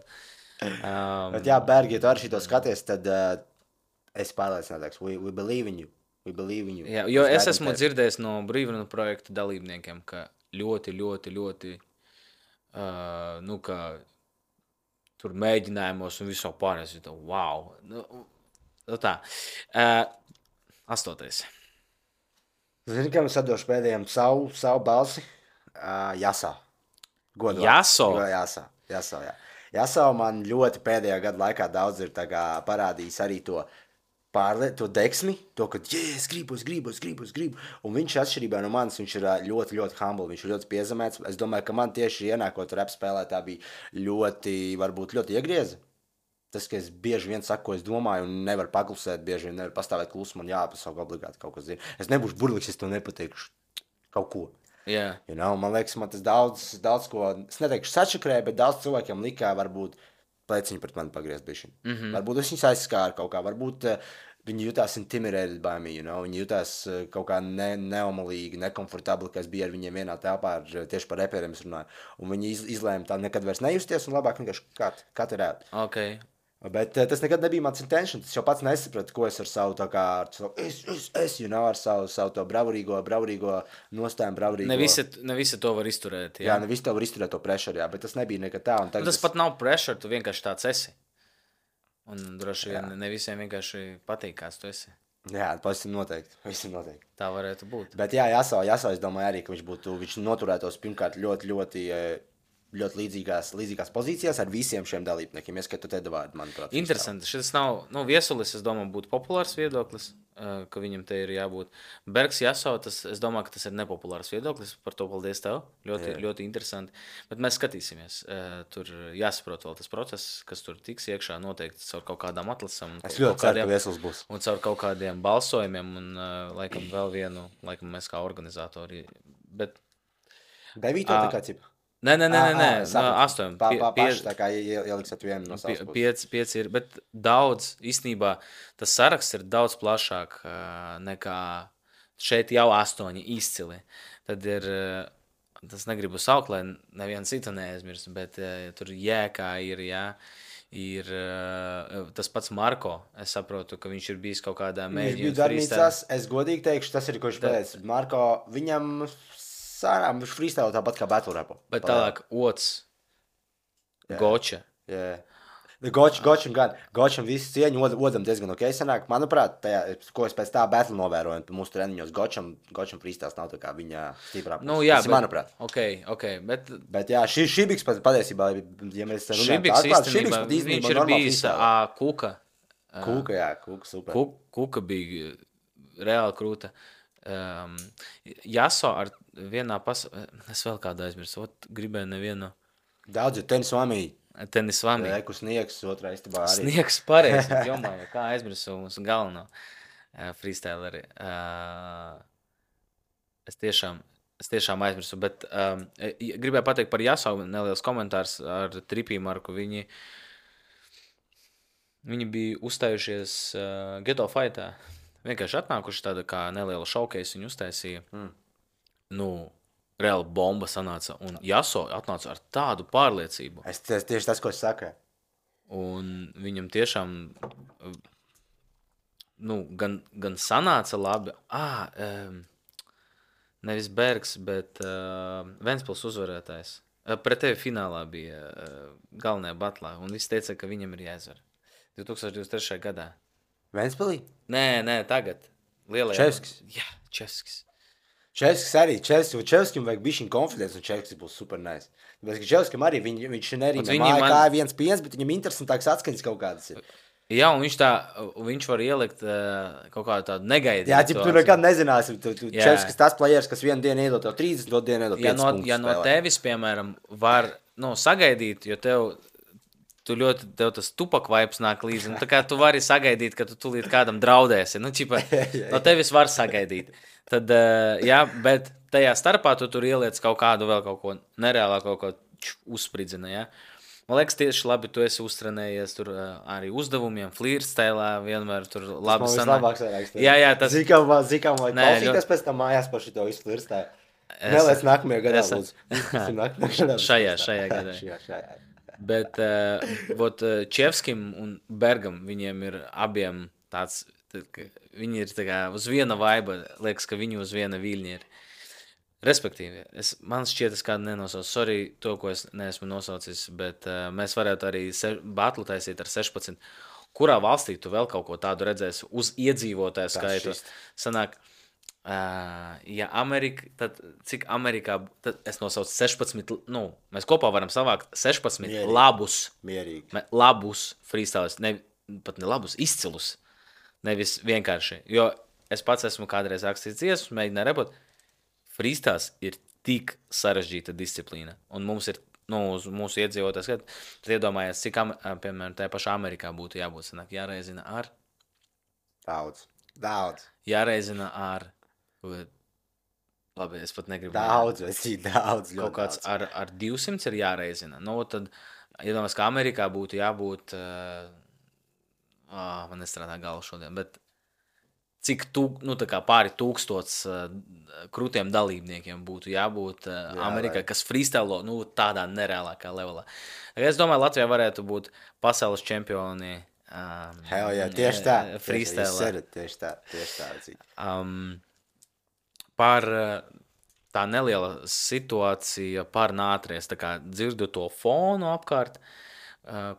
Bet jā, Bergi, ja tu arī šito skaties, tad es pārliecinātāks. We believe in you. We believe in you. Jā, jo es esmu dzirdējis no Brīvrunu projekta dalībniekiem, ka ļoti ka tur mēģinājumos un visu pārējais. Wow. Tā. 8. Zini, kam es atdošu pēdējiem savu balsi? Jasā. Godot. Jaso? Jaso, jā. Jaso man ļoti pēdējā gada laikā daudz ir parādījis arī to deksmi, to, ka, es gribu. Un viņš atšķirībā no manis, viņš ir ļoti, ļoti humble, viņš ir ļoti piezemēts. Es domāju, ka man tieši ienākot rap spēlē, tā bija varbūt ļoti iegrieza. Tas, ka es bieži vien saku, ko es domāju, un nevaru paklusēt, bieži vien nevaru pastāvēt klusu, man jāpasaka obligāti kaut kas zina. Es nebūšu burlīgs, es to nepateikšu kaut ko. Yeah. Man liekas, man tas daudz ko, es neteikšu sačakrēju, bet daudz cilvēkiem likā varbūt pleciņu pret mani pagriezt bišķi. Varbūt es viņus aizskāru kaut kā, varbūt viņi jutās intimidated by me, viņi jutās kaut kā neomalīgi, nekomfortabli, ka es biju ar viņiem vienā telpā, tieši par reperiem es runāju. Un viņi izlēma tā nekad vairs nejusties un labāk vienkārši kat ir ēt. Okay. Bet tas nekad nebija mans intention, tas jau pats nesapratu, ko es ar savu tā kā, ar savu to bravurīgo nostājumu, bravurīgo. Ne visi to var izturēt, jā. Jā, ne visi to var izturēt to pressure, jā, bet tas nebija nekad tā. Un tas pat nav pressure, tu vienkārši tāds esi. Un droši vien ne visiem vienkārši patīk, kāds tu esi. Jā, pavisam noteikti. Tā varētu būt. Bet jā, Jaso, es domāju arī, ka viņš noturētos pirmkārt ļoti ļoti līdzīgās pozīcijās ar visiem šiem dalībniekiem, ieskatot Edvardu, manuprāt. Interesanti. Šis nav, Viesulis, es domāju, būtu populārs viedoklis, ka viņam te ir jābūt. Bergs Jaso, es domāju, ka tas ir nepopulārs viedoklis, par to paldies tev. Ļoti interesanti. Bet mēs skatīsimies. Tur jāsaprot vēl tas process, kas tur tiks iekšā noteikti caur kaut kādām atlasām. Es ļoti ceru, ka Viesulis būs. Un caur kaut kādiem balsojumiem un laikam vēl vienu, mēs kā organizatori. Bet 9. tā kā cipa? Nē, 8. Paši tā kā ieliksiet vienu no savas puses. 5 ir, bet daudz, īstenībā, tas saraksts ir daudz plašāk nekā šeit jau 8 izcili. Tad ir, tas negribu saukt, lai nevienu citu neaizmirst, bet tur Jēkā ir, ir tas pats Marko. Es saprotu, ka viņš ir bijis kaut kādā mēģinājumā. Viņš bija darbnīcās, es godīgi teikšu, tas ir, ko viņš pēc. Marko, viņam... Sārām, viņš freestyle tāpat kā battle rapu. Bet tālāk Ots, Goča. Jā. Gočam gan. Gočam visu cieņu, Odam diezgan ok sanāk. Manuprāt, ko es pēc tā battle novēroju mūsu treniņos, Gočam freestyles nav tā kā viņa stiprā puse. Jā, tas ir manuprāt. Ok, bet jā, Šibiks patiesībā, ja mēs runājam tā īstenībā, viņš ir bijis Kuka. Kuka, super. Kuka bija reāli krūta. Jaso ar vienā es vēl kādu aizmirsu, gribēju nevienu. Daudz ir Tenis Vamī. Kur Sniegs otrā istībā arī. Sniegs pareizi, jomā, kā aizmirsu mūsu galveno freestyleri. Es tiešām aizmirsu, bet gribēju pateikt par Jaso, neliels komentārs ar Tripī Marku. Viņi bija uzstājušies Ghetto Fightā. Vienkārši atnākuši tāda kā neliela showcase viņu uztaisīja. Reāli bomba sanāca. Un Jaso atnāca ar tādu pārliecību. Tieši tas, ko es saku. Un viņam tiešām gan sanāca labi. Nevis Bergs, bet Ventspils uzvarētājs. Pret tevi finālā bija galvenajā batlā. Un viss teica, ka viņam ir jāizvar. 2023. gadā. Ventspilī? Nē, tagad. Čevskis? Jā, Čevskis. Čevskis arī. Čevskim vajag bišķiņ confidence, un Čevskis būs super nice. Tāpēc, ka Čevskim arī, viņš nerīmē māja kā 1-5, bet viņam interesantāks atskaņas kaut kādas ir. Jā, un viņš var ielikt kaut kādu tādu negaidītu. Jā, tu nekad nezināsi. Čevskis tas players, kas vienu dienu iedod tev 30, otru dienu iedod 5 punktus. Ja no tevis, piemēram, var sagaidīt, jo tev tas tupak vibes nāk līdzi. Tā kā tu vari sagaidīt, ka tu tūlīt kādam draudēsi. No tevis var sagaidīt. Tad, bet tajā starpā tu tur ieliec kaut ko nereālā, kaut ko uzspridzina, jā. Man liekas, tieši labi, tu esi uztrenējies tur arī uzdevumiem, flirtstēlā, vienmēr tur labi sanāk. Jā, tas... Zikam vai klausīties pēc tam mājās par šito visu flirtstēlu. Nelēc nākamajā gadā, lūdzu. Šajā gadā. Bet Čevskim un Bergam, viņiem ir abiem tāds, viņi ir tā kā uz viena vaiba, liekas, ka viņi uz viena viļņa ir. Respektīvi, man šķiet, es kādu nenosaucu, sorry, to, ko es neesmu nosaucis, bet mēs varētu arī batlu taisīt ar 16. Kurā valstī tu vēl kaut ko tādu redzēsi uz iedzīvotāju skaitu? Sanāk, ja Amerika, tad cik Amerikā, tad es nosaucu 16, mēs kopā varam savākt 16 labus freestyles, pat ne labus, izcilus, nevis vienkārši, jo es pats esmu kādreiz rakstījis dziesmas, mēģināju repot, freestyles ir tik sarežģīta disciplīna, un mums ir, uz mūsu iedzīvotājs, tad iedomājies, cik, piemēram, tajā pašā Amerikā būtu jābūt, sanāk, jāreizina ar? Daudz. Jāreizina ar... Labi, es pat negribu. Daudz. Kaut kāds ar 200 ir jāreizina. Tad, iedomājies, ka Amerikā būtu jābūt, man nestrādā galva šodien, bet cik tā kā pāri 1000 krūtiem dalībniekiem būtu jābūt Amerikā, kas freestylo, tādā nereālākā levelā. Es domāju, Latvijā varētu būt pasaules čempioni. Hell yeah, tieši tā. Freestyle. Tieši tā. Par tā neliela situācija par nātries, tā kā dzirdu to fonu apkārt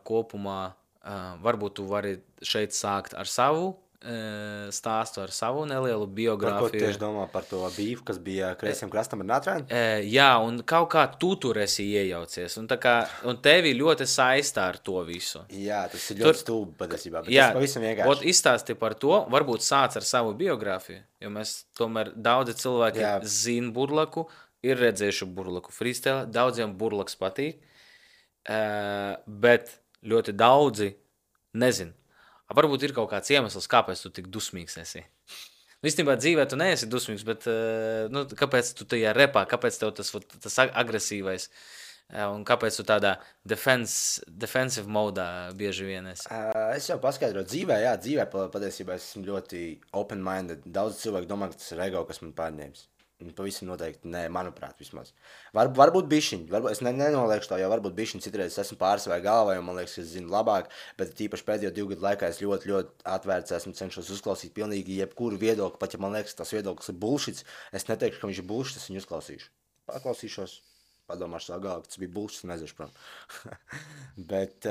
kopumā, varbūt tu vari šeit sākt ar savu stāstu ar savu nelielu Par ko tu biogrāfiju. tieši domā par to bīvu, kas bija kreisiem krastam ar Natrēnu? Jā, un kaut kā tu tur esi iejaucies. Un tevi ļoti saistā ar to visu. Jā, tas ir ļoti stulbi patiesībā, bet Jā, tas pavisam vienkārši. Izstāsti par to, varbūt sāc ar savu biogrāfiju, jo mēs tomēr daudzi cilvēki Jā. zina Burlaku, ir redzējuši Burlaku freestyle, daudziem Burlaks patīk, bet ļoti daudzi nezin. Varbūt ir kaut kāds iemesls, kāpēc tu tik dusmīgs esi. Īstenībā dzīvē tu neesi dusmīgs, bet kāpēc tu tajā repā, kāpēc tev tas agresīvais un kāpēc tu tādā defensive modā bieži vien esi? Es jau paskaidroju, dzīvē patiesībā esmu ļoti open-minded. Daudz cilvēku domā, ka tas ir ego, kas man pārņēmis. Pavisam noteikti, nē, manuprāt, vismaz. Varbūt bišķiņi, es nenoliekšu to, jo varbūt bišķiņi citreiz esmu pārsvarā galvā, jo man liekas, ka es zinu labāk, bet tīpaši pēdējo 2 gadu laikā es ļoti, ļoti atvērts esmu, cenšos uzklausīt pilnīgi jebkuru viedokli, pat ja man liekas, tas viedoklis ir bullshits, es neteikšu, ka viņš ir bullshits, es viņu uzklausīšu. Paklausīšos, padomāšu savā galvā, ka tas bija bullshits, nezinu, prom. Bet...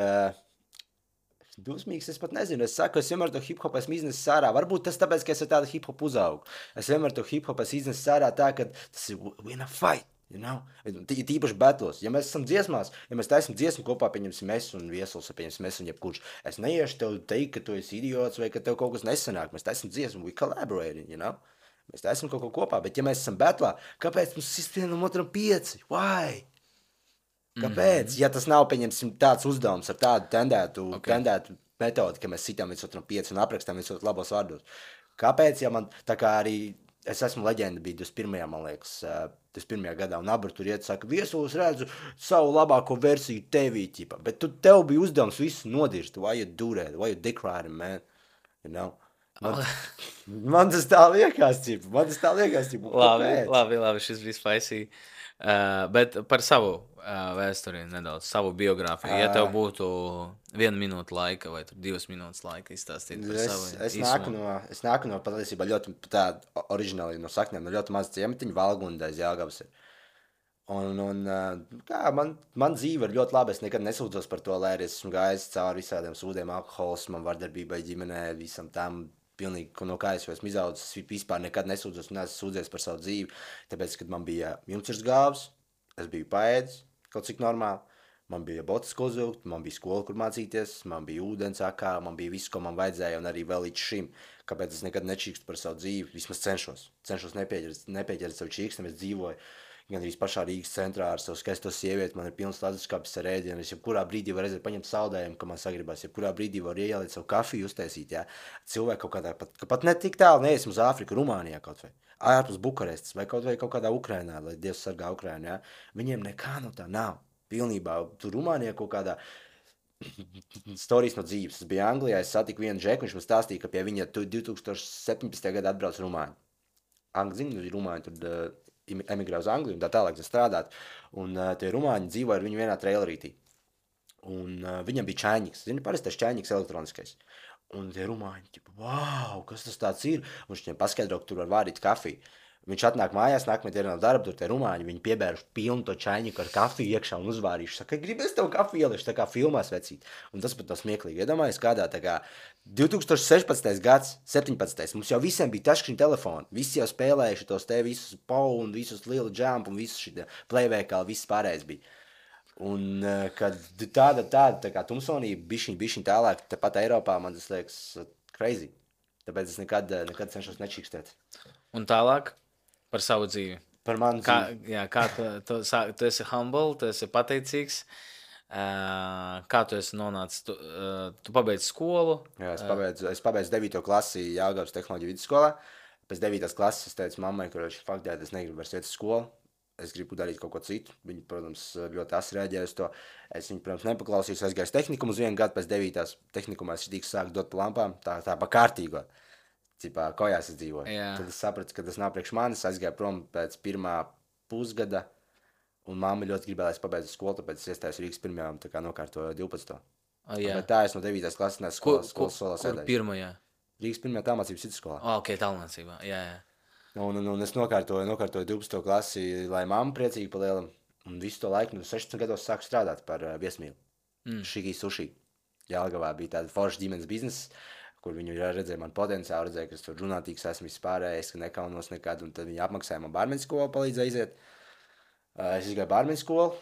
Dusmīgs, es pat nezinu. Es saku, es vienmēr to hip-hop esmu iznesis ārā. Varbūt tas tāpēc, ka es ar tādu hip-hop uzaugu. Es vienmēr to hip-hop esmu iznesis ārā tā, ka tas ir win a fight, you know? Tīpaši battles. Ja mēs esam dziesmās, ja mēs taisam dziesmu kopā, pieņemsim es un Viesuls, pieņemsim es un jebkurš. Es neiešu tev teikt, ka tu esi idiots vai ka tev kaut kas nesanāk. Mēs taisam dziesmu, we collaborating, you know? Mēs taisam kaut ko kopā, bet ja mēs esam battlā, kāpēc mums sist vienam otram 5? Why? Kāpēc? Ja tas nav, pieņemsim, tāds uzdevums ar tādu tendētu metodi, ka mēs sitām viens otram 5 un aprakstām viens otru labos vārdos. Kāpēc? Ja man tā kā arī, es esmu leģenda, bija 21. man liekas, 21. gadā, un Abra tur iet, saka, Viesuls redzu savu labāko versiju tevī, ķipa. Bet tev bija uzdevums visu nodirst. Why you do that? Why you dick riding, man? You know? Man tas tā liekas, ķipa. Labi, šis bija spicy. Bet par savu vēsturi nedaudz, savu biogrāfiju. Ja tev būtu 1 minūte laika vai 2 minūtes laika izstāstīt par savu īsumu. Es nāku no patiesībā ļoti tādu oriģināli no saknēm, no ļoti maz ciematiņu, Valgunda aiz Jelgavas ir. Man dzīve ir ļoti laba, es nekad nesūdzos par to, lai arī esmu gājis cauri visādiem sūdiem, alkoholismam, vardarbībai ģimenē, visam tam. Pilnīgi, no kā es esmu izaudzis, es vispār nekad nesūdzos un esmu sūdzies par savu dzīvi. Tāpēc, kad man bija jumtsvirs gāvs, es biju paēdis, kaut cik normāli. Man bija botas, ko uzvilkt, man bija skola, kur mācīties, man bija ūdens akā, man bija viss, ko man vajadzēja, un arī vēl līdz šim. Kāpēc es nekad nečīkstu par savu dzīvi? Vismaz cenšos. Cenšos nepieķert savu čīkstu, es dzīvoju gan arī pašā Rīgas centrā ar savu skaisto sievieti, man ir pilns leduskapis ar ēdienu, es jebkurā brīdī varu aiziet paņemt saldējumu, ka man sagribās, jebkurā brīdī varu ieliet savu kafiju uztaisīt, jā. Cilvēki kaut kādā, pat ne tik tālu neiesim uz Āfriku, Rumānijā kaut vai, ārpus Bukarestas vai kaut kādā Ukrainā, lai Dievs sargā Ukrainu, jā. Viņiem nekā no tā nav, pilnībā, tur Rumānijā kaut kādā storijas no dzīves. Es biju Anglijā, es satiku vienu džeku, viņš man stāstīja, ka pie viņa 2017. gadā atbrauc Rumāņi. Rumāņi tur emigrē uz Angliju un tā tālāk strādāt. Un tie rumāņi dzīvoja ar viņu vienā trailerītī. Un viņam bija čaņiks. Zini, parasti tas čaņiks elektroniskais. Un tie rumāņi, ķipa, wow, kas tas tāds ir? Un viņš viņiem paskaidro, ka tur var vārīt kafiju. Viņš atnāk mājās, nākamajā dienā no darba, tur tie rumāņi, viņi piebēruši pilnu to čaņiku ar kafiju iekšā un uzvārījuši. Saka, gribēs tev kafiju ielišu, tā kā filmās vecīt. Un tas pat tā smieklīgi. Iedomājies kādā tā kā 2016. gads, 17. Mums jau visiem bija taškriņu telefoni. Visi jau spēlējuši tos te visus pau un visus lielu jump un visus šitie playveikali, viss pārējais bija. Un kad tāda tā kā tumsonība bišķiņ tālāk, tepat Eiropā, man tas liekas crazy. Tāpēc es nekad cenšos nečīkstēt. Un tālāk? Par savu dzīvi. Par manu dzīvi. Kā tu esi humble, tu esi pateicīgs. Kā tu esi nonācis? Tu pabeidzi skolu? Jā, es pabeidzu 9. klasi Jelgavas tehnoloģiju vidusskolā. Pēc 9. klases es teicu mammai, ka faktēt, es negribu vairs iet uz skolu. Es gribu darīt kaut ko citu. Viņa, protams, ļoti asi reaģēja uz to. Es viņu, protams, nepaklausījos. Aizgāju tehnikumu uz 1 gadu pēc 9. tehnikumā. Es šitīgi sāku dot pa lampām. Tā pa kārtīgo. Cipā, kojās es dzīvoju. Jā. Tad es sapratu, ka tas nav priekš manis. Aizgāju prom pēc 1. pusgada, un mamma ļoti gribēja, lai es pabeidzu skolu, tāpēc es iestājos Rīgas 1. tā kā nokārtoju 12. Bet tā es no 9. klases nes skolas solā sēdēju. Kur 1? Rīgas 1. tālmācības vidusskolā. Ok, tālmācībā, jā. Un es nokārtoju 12. klasi, lai mamma priecīgi pa lielam, un visu to laiku, 16 gados sāku strādāt par viesmīlu. Šikī suši. Jelgavā bija tāda forša ģimenes biznesa. kur viņi redzēja man potenciālu, redzēja, ka es tur žurnātīgs esmu vispārējais, ka nekaunos nekad, un tad viņi apmaksāja man bārmeņu skolu, palīdzēja iziet. Es izgāju bārmeņu skolu,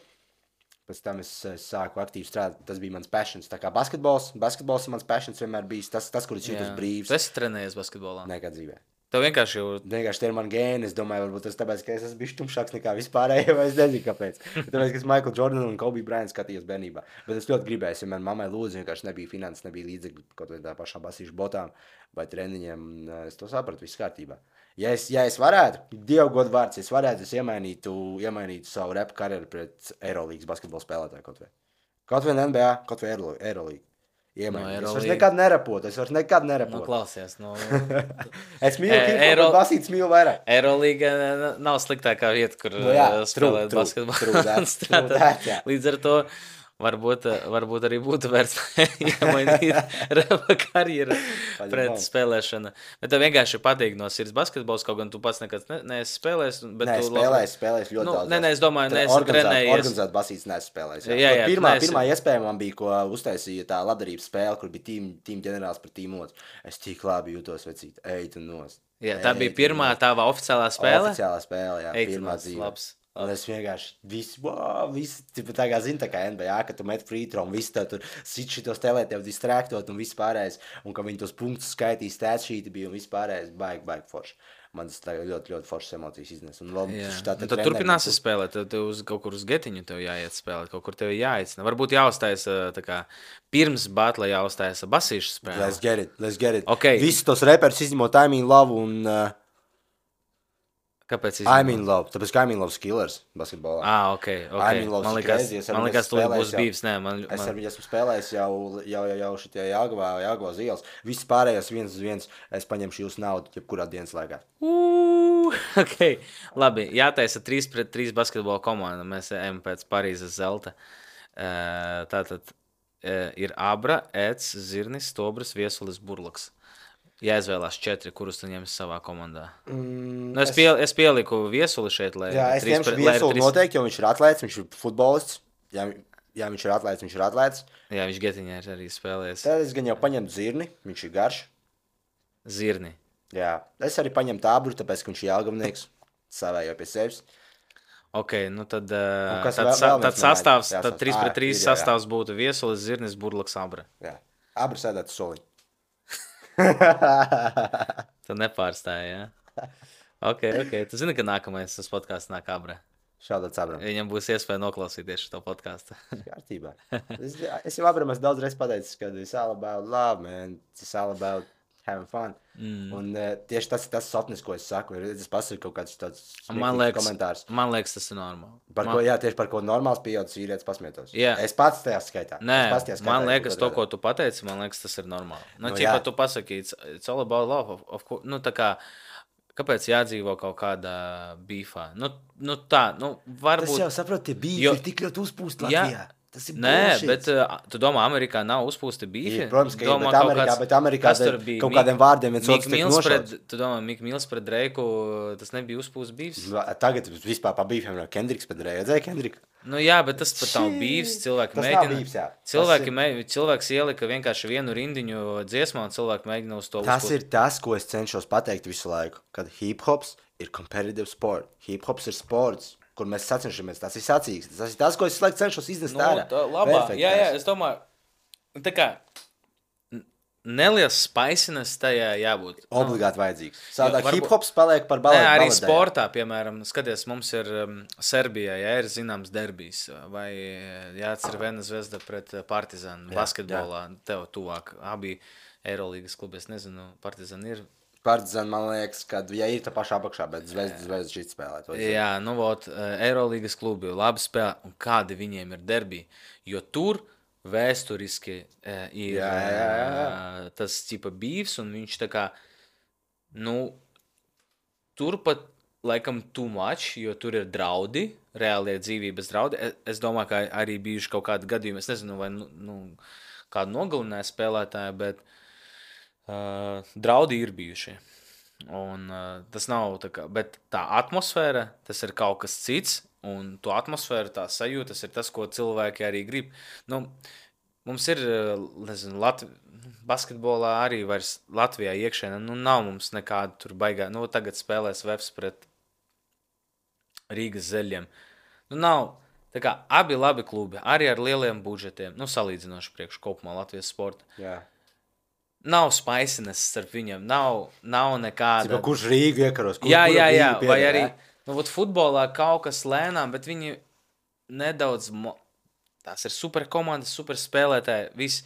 pēc tam es sāku aktīvi strādāt, tas bija mans passions, tā kā basketbols ir mans passions vienmēr bijis, tas kur es jūtos brīvs. Tu esi trenējies basketbolā? Nekad dzīvē. Tev vienkārši jau... Vienkārši tie ir mani gēni, es domāju, varbūt tas tāpēc, ka es esmu bijis tumšāks nekā vispārējie, vai es nezinu, kāpēc. Tāpēc, ka es Michael Jordan un Kobe Bryant skatījos bērnībā. Bet es ļoti gribēju, ja man mammai lūdzu, vienkārši nebija finanses, nebija līdzekļu kaut vai tā pašām basīšu botām vai treniņiem, es to sapratu, viss kārtībā. Ja es varētu, Dievu godu vārds, es iemainītu savu repu karjeru pret Eirolīgas basketbola spēlētāju kaut vai. Kaut vai NBA, kaut vai Eirolīga. Es vairs nekad nerapotu, Nu, klausies, Es mīlu hip-hop, bet basītas mīlu vairāk. Eirolīga nav sliktākā vieta, kur spēlēt basketbolu. Līdz ar to varbūt arī būtu vērts iemainīt rapa karjeru pret spēlēšanu. Bet tev vienkārši patīk no sirds basketbols, kaut gan tu pats nekad neesi spēlējis. Nē, spēlējis ļoti daudz. Nē, es domāju, neesi trenējies. Organizēt basītas neesi spēlējis. Pirmā iespēja man bija, ko uztaisīja tā labdarības spēle, kur bija tīm ģenerāls par tīm otru. Es tik labi jūtos, vecīt, eit un nost. Jā, tā bija pirmā tava oficiālā spēle? Oficiālā spēle, jā, pirmā dzīve. Un es vienkārši visi tā kā zinu, tā kā NBA, ka tu met free throw un visi tev tur sit šitos telē, tev distraktot un viss pārējais, un ka viņi tos punktus skaitīs, stātšīti bija un viss pārējais, baigi forši. Man tas ļoti, ļoti foršas emocijas iznes. Tad turpināsi spēlēt, tev kaut kur uz getiņu tev jāiet spēlēt, kaut kur tev jāicina. Varbūt jāuztais tā kā pirms batla jāuztais basīšu spēlē. Let's get it. Okay. Visi tos reperus izņemot I Mean Love un... Kāpēc I Mean Love, tāpēc ka I Mean Love's killers basketbolā. Ok. Man liekas, tu būs bīvs, nē. Es ar viņu esmu spēlējis jau šitie Jāgavā ielas. Viss pārējās 1-1, es paņemšu jūsu naudu, jebkurā dienas laikā. Ok, labi, jātaisa 3-3 basketbola komanda, mēs ejam pēc Parīzes zelta. Tātad ir Abra, Eds, Zirnis, Stobris, Viesulis, Burlaks. Jāizvēlās 4, kurus tu ņemsi savā komandā. Es pieliku Viesuli šeit, lai... Jā, es ņemšu Viesuli noteikti, jo viņš ir atlēts, viņš ir futbolists. Jā, viņš ir atlēts. Jā, viņš getiņā ir arī spēlējies. Tad es gan jau paņemtu Zirni, viņš ir garš. Zirni. Jā, es arī paņemtu Abru, tāpēc, ka viņš ir Jelgavnieks, savējo pie sevis. Ok, nu tad sastāvs, tad 3-3 sastāvs būtu Viesulis, Zirnis, Burlaks, Abra. Jā, Abra sēdētu soliņu. Tu nepārstāji, jā? Ok. Tu zini, ka nākamais tas podcasts nāk Abra? Šādāds Abram. Viņam būs iespēja noklausīties šo podcastu. Kārtībā. Es jau Abram daudz reiz pateicis, ka it's all about love, man. It's all about having fun. Un tieši tas sapnis, ko es saku, ir es pasaku kaut kāds tāds komentārs. Man liekas, tas ir normāli. Tieši par ko normāls pieaudzis vīrietis pasmietos. Yeah. Es pats tajā skaitā. Nē, man liekas, to, ko tu pateici, man liekas, tas ir normāli. Ķipa tu pasaki, it's all about love. Tā kā, kāpēc jādzīvo kaut kādā bīfā? Varbūt... Tas jau saprot, tie bīfi ir tik ļoti uzpūst Latvijā. Nē, bet tu domā, Amerikā nav uzpūsti bīfi? Protams, ka bet Amerikā kaut kādiem vārdiem viens otrs tiek nošauts. Tu domā, Mik Mils pret Dreiku, tas nebija uzpūsts bīfs? Tagad vispār pa bīfiem nav Kendriks pret Dreiku. Redzēji Kendriku? Jā, bet tas pat nav bīfs. Cilvēks ielika vienkārši vienu rindiņu dziesmā, un cilvēki mēģina uz to uzpūst. Tas ir tas, ko es cenšos pateikt visu laiku, kad hip-hops ir competitive sport. Hip-hops ir sports, kur mēs sacenšamies, tas ir sacīgs. Tas ir tas, ko es cenšos iznest ārā. Jā, es domāju, tā kā neliels spaisiness tajā jābūt. Obligāti vajadzīgs. Sādāk hip-hops paliek par baladēm. Arī sportā, piemēram, skaties, mums ir Serbijā, ir zināms derbijs, vai Cervena Zvezda pret Partizanu basketbolā, tev tuvāk, abi Eirolīgas klubi, es nezinu, Partizan ir. Partizan, man liekas, ka ir tā pašā apakšā, bet Zvezda šeit spēlēt. Jā, Eirolīgas klubi labi spēlē, un kādi viņiem ir derbi, jo tur vēsturiski ir tas tipa bīvs, un viņš tā kā, tur pat laikam too much, jo tur ir draudi, reālie dzīvības draudi. Es domāju, ka arī bijuši kaut kādi gadījumi, es nezinu, vai kādu nogalināja spēlētāju, bet draudi ir bijuši. Un tas nav tā kā, bet tā atmosfēra, tas ir kaut kas cits, un to atmosfēru, tā sajūta, tas ir tas, ko cilvēki arī grib. Mums ir, nezinu, basketbolā arī vairs Latvijā iekšēnē, nav mums nekāda tur baigā. Tagad spēlēs Vefs pret Rīgas Zeļiem. Nav, tā kā abi labi klubi, arī ar lieliem budžetiem, salīdzinoši priekš kopumā Latvijas sporta. Jā. Nav spaisines starp viņiem, nav nekāda. Cipa, kurš Rīgu iekaros? Jā, vai arī, futbolā kaut kas lēnām, bet viņi nedaudz, tās ir super komandas, super spēlētāji, viss.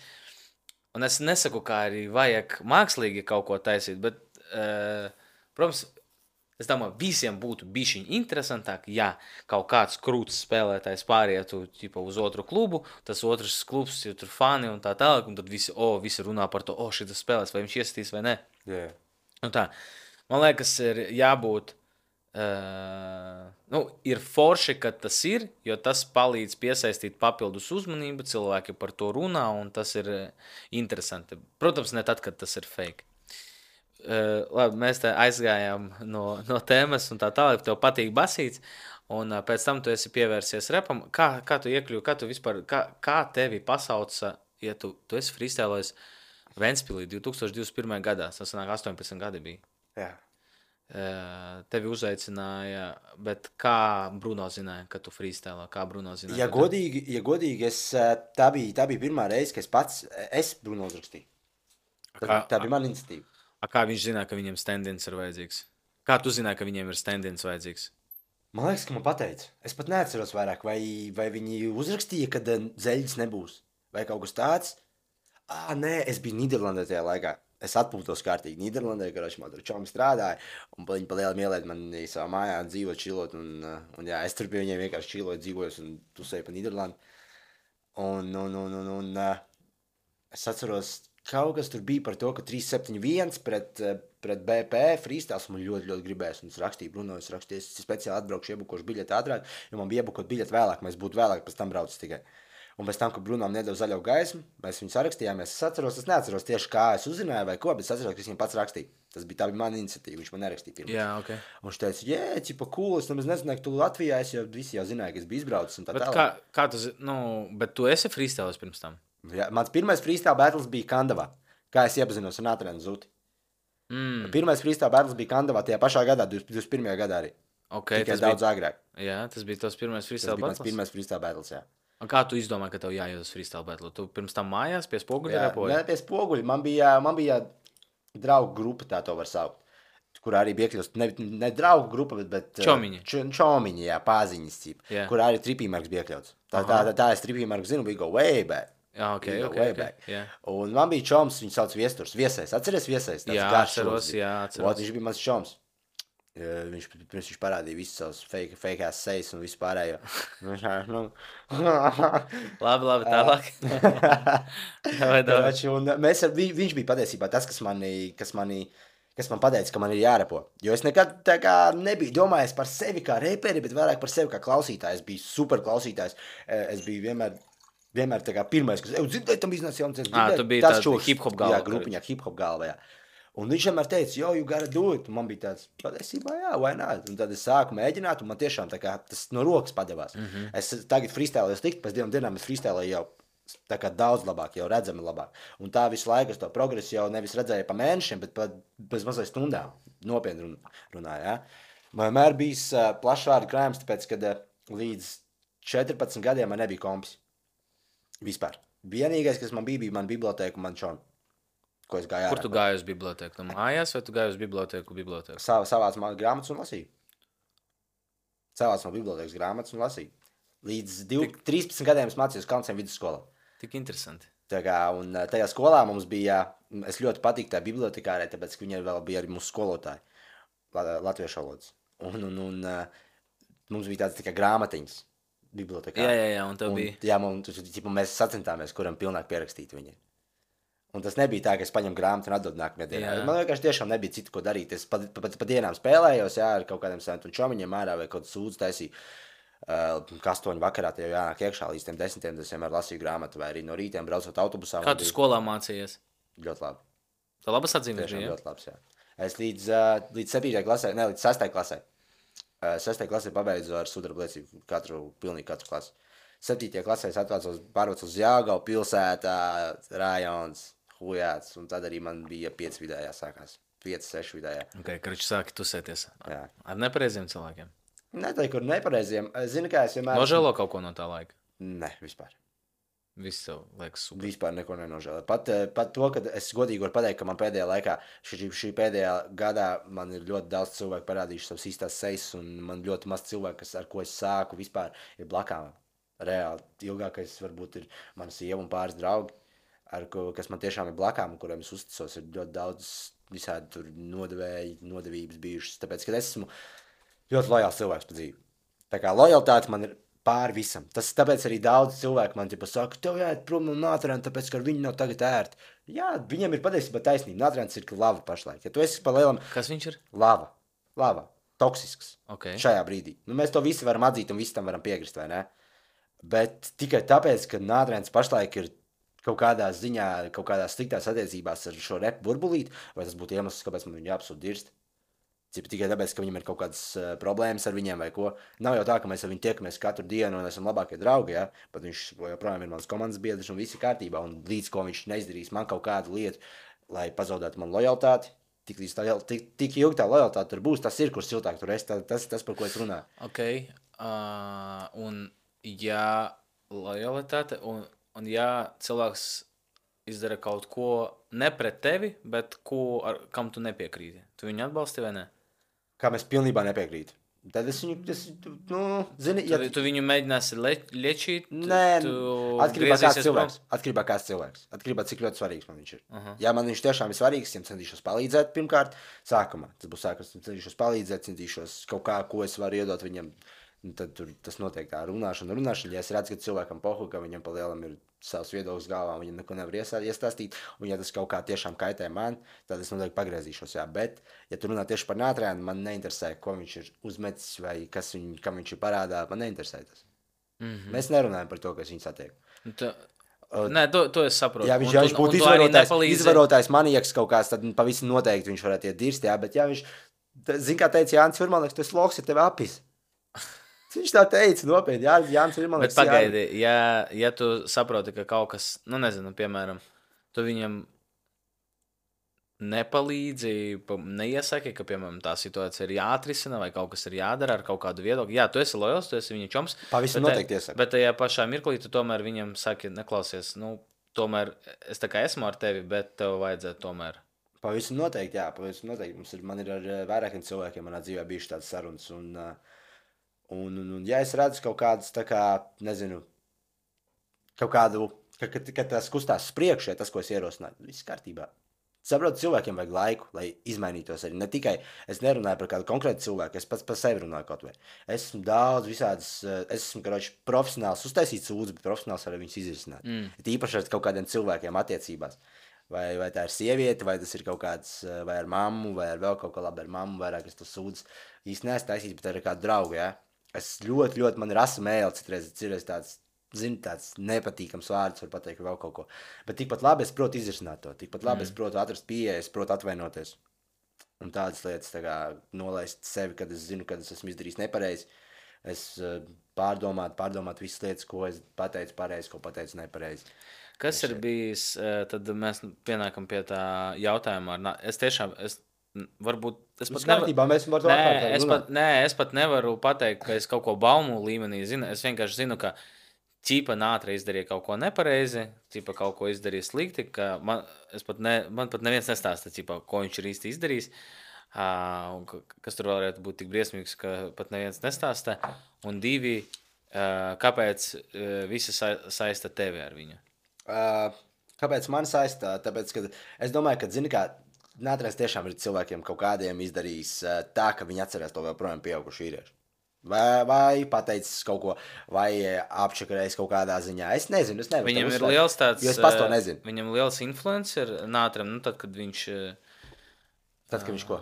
Un es nesaku, kā arī vajag mākslīgi kaut ko taisīt, bet, protams, es domāju, visiem būtu bišķiņ interesantāk, ja kaut kāds krūts spēlētājs pārietu uz otru klubu, tas otrs klubs ir tur fani un tā tālāk, un tad visi runā par to, šitas spēlēs, vai viņš iesitīs vai ne. Yeah. Un tā, man liekas, ir jābūt, ir forši, ka tas ir, jo tas palīdz piesaistīt papildus uzmanību, cilvēki par to runā, un tas ir interesanti. Protams, ne tad, kad tas ir fake. Labi, mēs te aizgājām no tēmas un tā tālāk, tev patīk basīts, un pēc tam tu esi pievērsies repam. Kā tu iekļuvi, kā tu vispār, kā tevi pasauca, ja tu esi freestylojis Ventspilī 2021. gadā, tas sanāk 18 gadi bija. Jā. Tevi uzaicināja, bet kā Bruno zināja, ka tu freestylo? Kā Bruno zināja? Ja godīgi, tā bija pirmā reize, ka es Bruno uzrakstīju. Tā bija mana iniciatīva. Kā viņš zināja, ka viņiem stand-ins ir vajadzīgs? Kā tu zināji, ka viņiem ir stand-ins vajadzīgs? Man liekas, ka man pateica. Es pat neatceros vairāk, vai viņi uzrakstīja, kad Zeļģis nebūs. Vai kaut kas tāds. Nē, es biju Nīderlandē tajā laikā. Es atpūtos kārtīgi Nīderlandē, kad man tur čomi strādāja. Un viņi pa lielam ielēd mani savā mājā dzīvot, čilot. Un jā, es tur pie viņiem vienkārši čiloju, dzīvojos un tusēju pa Nīderlandi. Un es atceros, kaut kas tur bija par to, ka 371 pret BP freestyles man ļoti, ļoti gribējās. Un es rakstīju Bruno, es speciāli atbraukšu, iebukošu biļeti ātrāk, jo man bija iebukot biļeti vēlāk, mēs būtu vēlāk, pēc tam braucis tikai. Un pēc tam, kad Brunom nedeva zaļo gaismu, mēs viņu sarakstījāmies. Es neatceros tieši, kā es uzzināju vai ko, bet es atceros, ka es viņam pats rakstīju. Tā bija mana iniciatīva, viņš man nerakstīja pirms. Jā, ok. Un viņš teica, ķipa, cool, es nemaz nezināju, ka tu Latvijā esi, jo visi jau zināja, ka es biju izbraucis un tā tālāk. Kā tu bet tu esi freestylos pirms tam? Jā, mans pirmais freestyle battles bija Kandavā, kā es iepazinos ar Natrēnu Zuti. Pirmais freestyle battles bija Kandavā tajā pašā gadā, 21. gadā arī. Okay, tikai daudz agrāk. Jā, tas bija tos pirmais freestyle battles? Tas bija mans pirmais freestyle battles, jā. Un kā tu izdomāji, ka tev jāiet uz freestyle battle? Tu pirms tam mājās pie spoguļa repoji? Jā, pie spoguļa. Man bija draugu grupa, tā to var saukt, kur arī bija iekļūst, ne draugu grupa, bet Čomiņi. Čomiņi, jā, pāziņas cip, kur arī tripīmarks bija iekļauts. Tā es tripīmarku zinu, we go way back. Jā, ok. Yeah. Un man bija čoms, viņu sauc Viesturs. Viesais, atceries Viesais? Jā, atceros. Viņš bija mans čoms. Viņš parādīja visus savus fake-ass sejas un visu pārējo. Labi, tālāk. Viņš bija patiesībā tas, kas man pateica, ka man ir jārepo. Jo es nekad tā kā nebiju domājis par sevi kā reperi, bet vairāk par sevi kā klausītājs. Es biju super klausītājs. Es biju vienmēr tā kā pirmais, kas dzirdēja, tam iznāca jauns. Tu biji tāds hip-hop galva. Jā, grupiņā hip-hop galva, jā. Un viņš vienmēr teica, you gotta do it. Un man bija tāds, patiesībā, jā, why not? Un tad es sāku mēģināt, un man tiešām tā kā tas no rokas padevās. Es tagad freestylēju slikti, pēc 2 dienām es freestylēju jau tā kā daudz labāk, jau redzami labāk. Un tā visu laiku es to progresu jau nevis redzēju pa mēnešiem, bet bez mazai stundām. Nopietni runāju, jā. Man vienmēr bijis plašvārdu krājums, tāpēc, kad līdz 14 gadiem man nebija kompis. Vispār. Vienīgais, kas man bija mana bibliotēka un man čoni. Kur tu gāji uz bibliotēku? Mājās vai tu gāji uz bibliotēku? Savāc man grāmatas un lasīju. Savāc man bibliotēkas grāmatas un lasīju. Līdz 13 gadiem es mācījos Kalnciem vidusskolā. Tik interesanti. Un tajā skolā mums bija, es ļoti patīku tā bibliotekārē, tāpēc, ka viņa vēl bija arī mūsu skolotāji, latviešu valodas. Un mums bija tāds tikai grāmatiņas bibliotekārē. Jā, un tev bija. Jā, mēs sacentāmies, kuram pilnāk pierakstīt viņu. Un tas nebija tā, ka es paņemu grāmatu un atdodu nākamajā dienā. Man vienkārši tiešām nebija citu, ko darīt. Es pa dienām spēlējos, jā, ar kaut kādiem saviem čomiņiem ārā vai kaut kādu sūdzu taisīju. 8 vakarā te jau jānāk iekšā līdz 10, tad es vienmēr lasīju grāmatu vai arī no rītiem braucot autobusā. Kā tu skolā mācījies? Ļoti labi. Tā labas atzīmes bija, jā? Ļoti labs, jā. Es līdz 7. klasē, ne, līdz 6. klasē. 6. klasē pabeidzu ar sudraba liecību pilnīgi katru klasi. 7. klasē es pārvācu uz Jāgavu, pilsētā, rajons. hujāts, un tad arī man bija 5 vidējā sākās. 5, 6 vidējā. Ok, karuči sāki tusēties. Jā. Ar nepareiziem cilvēkiem. Neteiktu, kur nepareiziem. Zini, kā es vienmēr... Nožēlo kaut ko no tā laika? Ne, vispār. Viss tev liekas super. Vispār neko nenožēloju. Pat to, ka es godīgi varu pateikt, ka man pēdējā laikā, šī pēdējā gadā, man ir ļoti daudz cilvēku parādījuši savas īstās sejas, un man ļoti maz cilvēku, ar ko es sāku, vispār ir blakām. Reāli ilgākais varbūt ir mana sieva un pāris draugi, kas man tiešām ir blakām, kuriem es uzticos. Ir ļoti daudz visādi tur nodevības bijušas, tāpēc, ka es esmu ļoti lojāls cilvēks pa dzīvi. Tā kā lojalitāte man ir pāri visam. Tāpēc arī daudz cilvēku man saka, tev jāiet prom no Nātrēna, tāpēc, ka viņi nav tagad ērti. Jā, viņiem ir patiesībā taisnība. Nātrēns ir lava pašlaik. Ja tu esi pa lielam... Kas viņš ir? Lava. Toksisks. Okay. Šajā brīdī. Mēs to visi varam atzīt un visi tam varam piekrist, vai ne? Bet tikai tāpēc, ka Nātrēns pašlaik ir kaut kādā ziņā, kaut kādās sliktās attiecībās ar šo repu burbulīti, vai tas būtu iemesls, kāpēc man viņu absolūti dirst. Tikai tāpēc, ka viņam ir kaut kādas problēmas ar viņiem vai ko. Nav jau tā, ka mēs ar viņu tiekamies katru dienu un esam labākie draugi, ja? Bet viņš joprojām ir mans komandas biedrs un viss ir kārtībā. Un līdz ko viņš neizdarīs man kaut kādu lietu, lai pazaudētu man lojalitāti, tik ilgi tā lojalitāte tur būs, tas ir, kur siltāk tur es, tas, par ko es runāju. Ok, un ja lojalitāte, un ja cilvēks izdara kaut ko ne pret tevi, bet kam tu nepiekrīti, tu viņu atbalsti vai ne? Kā mēs pilnībā nepiekrītu. Tad es viņu, zini... Tu viņu mēģināsi liečīt? Nē, atkarībā kāds cilvēks. Atkarībā, cik ļoti svarīgs man viņš ir. Ja man viņš tiešām ir svarīgs, ja centīšos palīdzēt pirmkārt, sākumā. Tas būs sākums, centīšos palīdzēt, centīšos kaut kā, ko es varu iedot viņam. Tad tas notiek tā runāšana. Ja es redzu, ka cilvēkam pohu, ka viņam pa lielam ir savs viedoklis galvā, viņam neko nevar iestāstīt, un ja tas kaut kā tiešām kaitē man, tad es noteikti pagriezīšos, jā. Bet, ja tu runā tieši par Nātrēnu, man neinteresē, ko viņš ir uzmetis vai kam viņš ir parādā, man neinteresē tas. Mēs nerunājam par to, kas viņu satiek. Nē, to es saprotu. Ja viņš būtu izvarotājs manieks kaut kāds, tad pavisam noteikti viņš varētu iet dirst, jā, bet ja viņš, zin kā teica Jānis Virmalnieks, tas loks ir tevi apis. Viņš tā teica, nopietni, Jānis Virmalnieks. Bet pagaidi, ja tu saproti, ka kaut kas, nezinu, piemēram, tu viņam nepalīdzi, neiesaki, ka, piemēram, tā situācija ir jāatrisina vai kaut kas ir jādara ar kaut kādu viedokli. Jā, tu esi lojals, tu esi viņa čoms. Pavisam noteikti iesaka. Bet tajā pašā mirklī tu tomēr viņam saki, neklausies, tomēr es tā kā esmu ar tevi, bet tev vajadzētu tomēr. Pavisam noteikti, jā, pavisam noteikti. Man ir ar vairākiem cilvēkiem manā dzīvē bijuši tādas sarunas un ja es redzu kaut kādas, tā kā, nezinu, kaut kādu, ka tas kustās uz priekšu, tas, ko es ierosināju, viss kārtībā. Saprotu, cilvēkiem vajag laiku, lai izmainītos arī. Ne tikai, es nerunāju par kādu konkrētu cilvēku, es pats par sevi runāju kaut vai. Es esmu daudz visādas, es esmu, profesionāls, uztaisīt sūdzi, bet profesionāls arī viņus izrisināt. Īpaši ar kaut kādiem cilvēkiem attiecībās. Vai tā ir sieviete, vai tas ir kaut kāds, vai ar mammu, vai ar vēl kaut kā labi ar mammu, vairāk es to sūdzi īsti neesmu taisījis, bet ar kādu draugu, jā. Es ļoti, man ir asa mēle, citreiz tāds, zinu, tāds nepatīkams vārds, var pateikt vēl kaut ko. Bet tikpat labi es protu izrisināt to, tikpat labi es protu atrast pieejas, es protu atvainoties. Un tādas lietas, tā kā nolaist sevi, kad es zinu, kad es esmu izdarījis nepareizi. Es pārdomāt visas lietas, ko es pateicu pareizi, ko pateicu nepareizi. Kas ir bijis, tad mēs pienākam pie tā jautājuma. Varbūt es pat nevaru pateikt, ka es kaut ko baumu līmenī zinu. Es vienkārši zinu, ka ķipa Nātre izdarīja kaut ko nepareizi, ķipa kaut ko izdarīja slikti, ka man pat neviens nestāsta, ķipa, ko viņš ir īsti izdarījis. Kas tur varētu būt tik briesmīgs, ka pat neviens nestāsta. Un 2, kāpēc visi saista tevi ar viņu? Kāpēc man saistā? Tāpēc, ka es domāju, ka, zini kā, Nātrēns tiešām ir cilvēkiem kaut kādiem izdarījis tā, ka viņi atcerās to vēl projām pieaugušu vīriešu. Vai pateicis kaut ko, vai apčakarējis kaut kādā ziņā. Es nezinu, es nevaru. Viņam ir liels tāds, jo es pats to nezinu. Viņam liels influence ir Nātrēm, tad, kad viņš... Tad, kad viņš ko?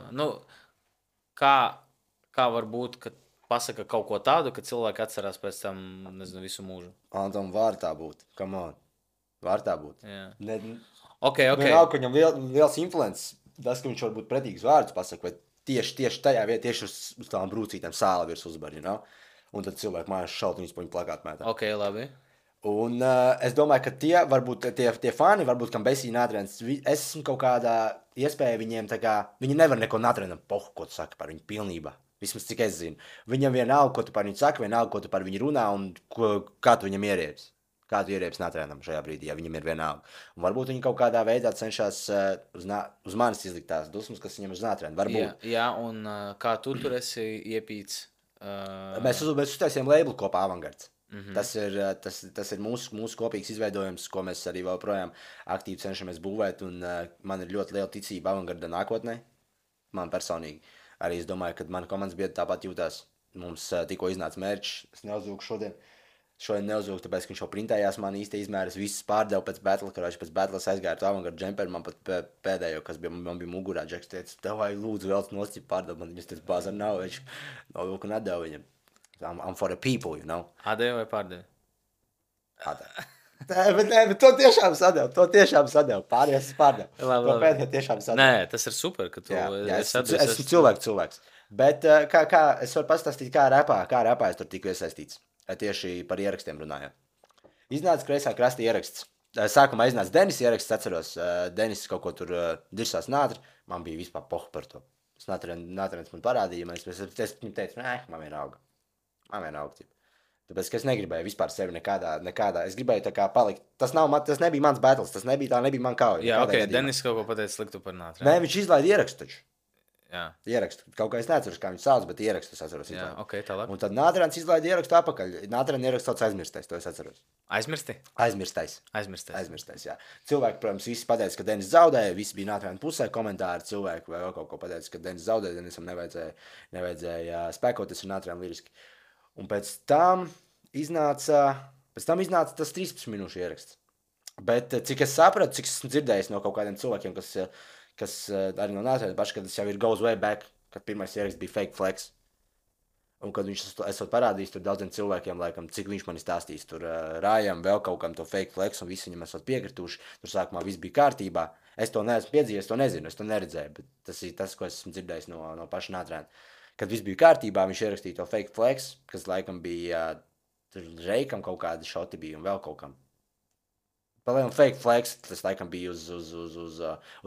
Kā var būt, ka pasaka kaut ko tādu, ka cilvēki atcerās pēc tam, nezinu, visu mūžu? Antam, var tā būt. Come on. Var tā būt. Jā. Ok. Vienalga, ka viņam liels influence. Tas, ka viņš var būt pretīgs vārdus pasaka, vai tieši tajā vietā, tieši uz tām brūcītēm sāla virs uzbar, you know? Un tad cilvēki mājās šaut viņus pa viņu plakātu mētā. Ok, labi. Un es domāju, ka tie fani, varbūt, kam Besī nātrēns, es esmu kaut kādā iespēja viņiem, tā kā, viņi nevar neko nātrēnam, ko tu saki par viņu pilnībā. Vismaz cik es zinu. Viņam vienalga, ko tu par viņu saki, vienalga, ko tu par viņu runā un kā tu viņam ierieps. Kā tu ierieps nātrēnam šajā brīdī, ja viņam ir vienalga. Un varbūt viņi kaut kādā veidā cenšas uz manis izlikt tās dusmas, kas viņam uz nātrēnu. Varbūt. Jā, un kā tu tur esi iepīts? Mēs uztaisījām labelu kopā Avangards. Tas ir mūsu kopīgs izveidojums, ko mēs arī vēl projām aktīvi cenšamies būvēt. Un, man ir ļoti liela ticība Avangarda nākotnē. Man personīgi. Arī es domāju, ka mana komandas biedri tāpat jūtās. Mums tikko iznāca mērķis. Es neuzlūku šodien. Šodien neuzlūku, tāpēc, ka viņš jau printējās man īsti izmēri. Es visus pārdevu pēc battle, kurš pēc battles aizgāju ar Avangarda džemperu. Man pat pēdējo, kas bija, man bija mugurā, Džeks teica, tev vai lūdzu vēl noscip pārdevu. Man viņš teica, bāzar nav, viņš nolūku nedēvu viņam. I'm for the people, you know. Atdevi vai pārdevi? Atdevi. Bet to tiešām sadevu. Pārējais es pārdevu. To pēdējā tiešām sadevu. Nē, tas ir super, ka tu esmu cilvēks. Bet kā es varu pastāstīt, kā repā es tur tiku iesaistīts. Tieši par ierakstiem runājot. Iznāca kreisā krasta ieraksts. Sākumā iznāca Denis ieraksts, atceros. Denis kaut ko tur dirsās nātri. Man bija vispār pohu par to. Nātrēns man parādīja. Es viņam teicu, man vienalga. Tāpēc, ka es negribēju vispār sevi nekādā. Es gribēju tā kā palikt. Tas nebija mans battles, tā nebija man kauja. Jā, ok, Denis kaut ko pateica sliktu par nātrēnu. Nē, viņš izlaida ierakstu taču. Jā. Ierakstu. Kaut kā es neatceros, kā viņu sauc, bet ierakstu es atceros. Jā, ok, tālāk. Un tad Nātrēns izlaida ierakstu apakaļ. Nātrēna ierakstu sauc aizmirstais, to es atceros. Aizmirstais, jā. Cilvēki, protams, visi pateica, ka Denis zaudēja, visi bija Nātrēna pusē, komentāri cilvēki vai vēl kaut ko pateica, ka Denis zaudēja, Denisam nevajadzēja spēkoties ar Nātrēnu liriski. Un pēc tam iznāca tas 13 minūšu ieraksts. Bet cik es sapratu, cik esmu dzirdējis no kaut kādiem cilvēkiem, kas arī no Nātrēna paši, kad tas jau ir goes way back, kad pirmais ieraksts bija fake flex. Un kad viņš esot parādījis tur daudziem cilvēkiem, laikam, cik viņš man stāstījis, tur Rājam vēl kaut kam to fake flex, un visi viņam esot piekrituši, tur sākumā viss bija kārtībā. Es to neesmu piedzīvojis, to nezinu, es to neredzēju, bet tas ir tas, ko esmu dzirdējis no paša Nātrēna. Kad viss bija kārtībā, viņš ierakstīja to fake flex, kas laikam bija tur Reikam kaut kādi šoti bija un vēl kaut kam. Palielam fake flex, tas laikam bija uz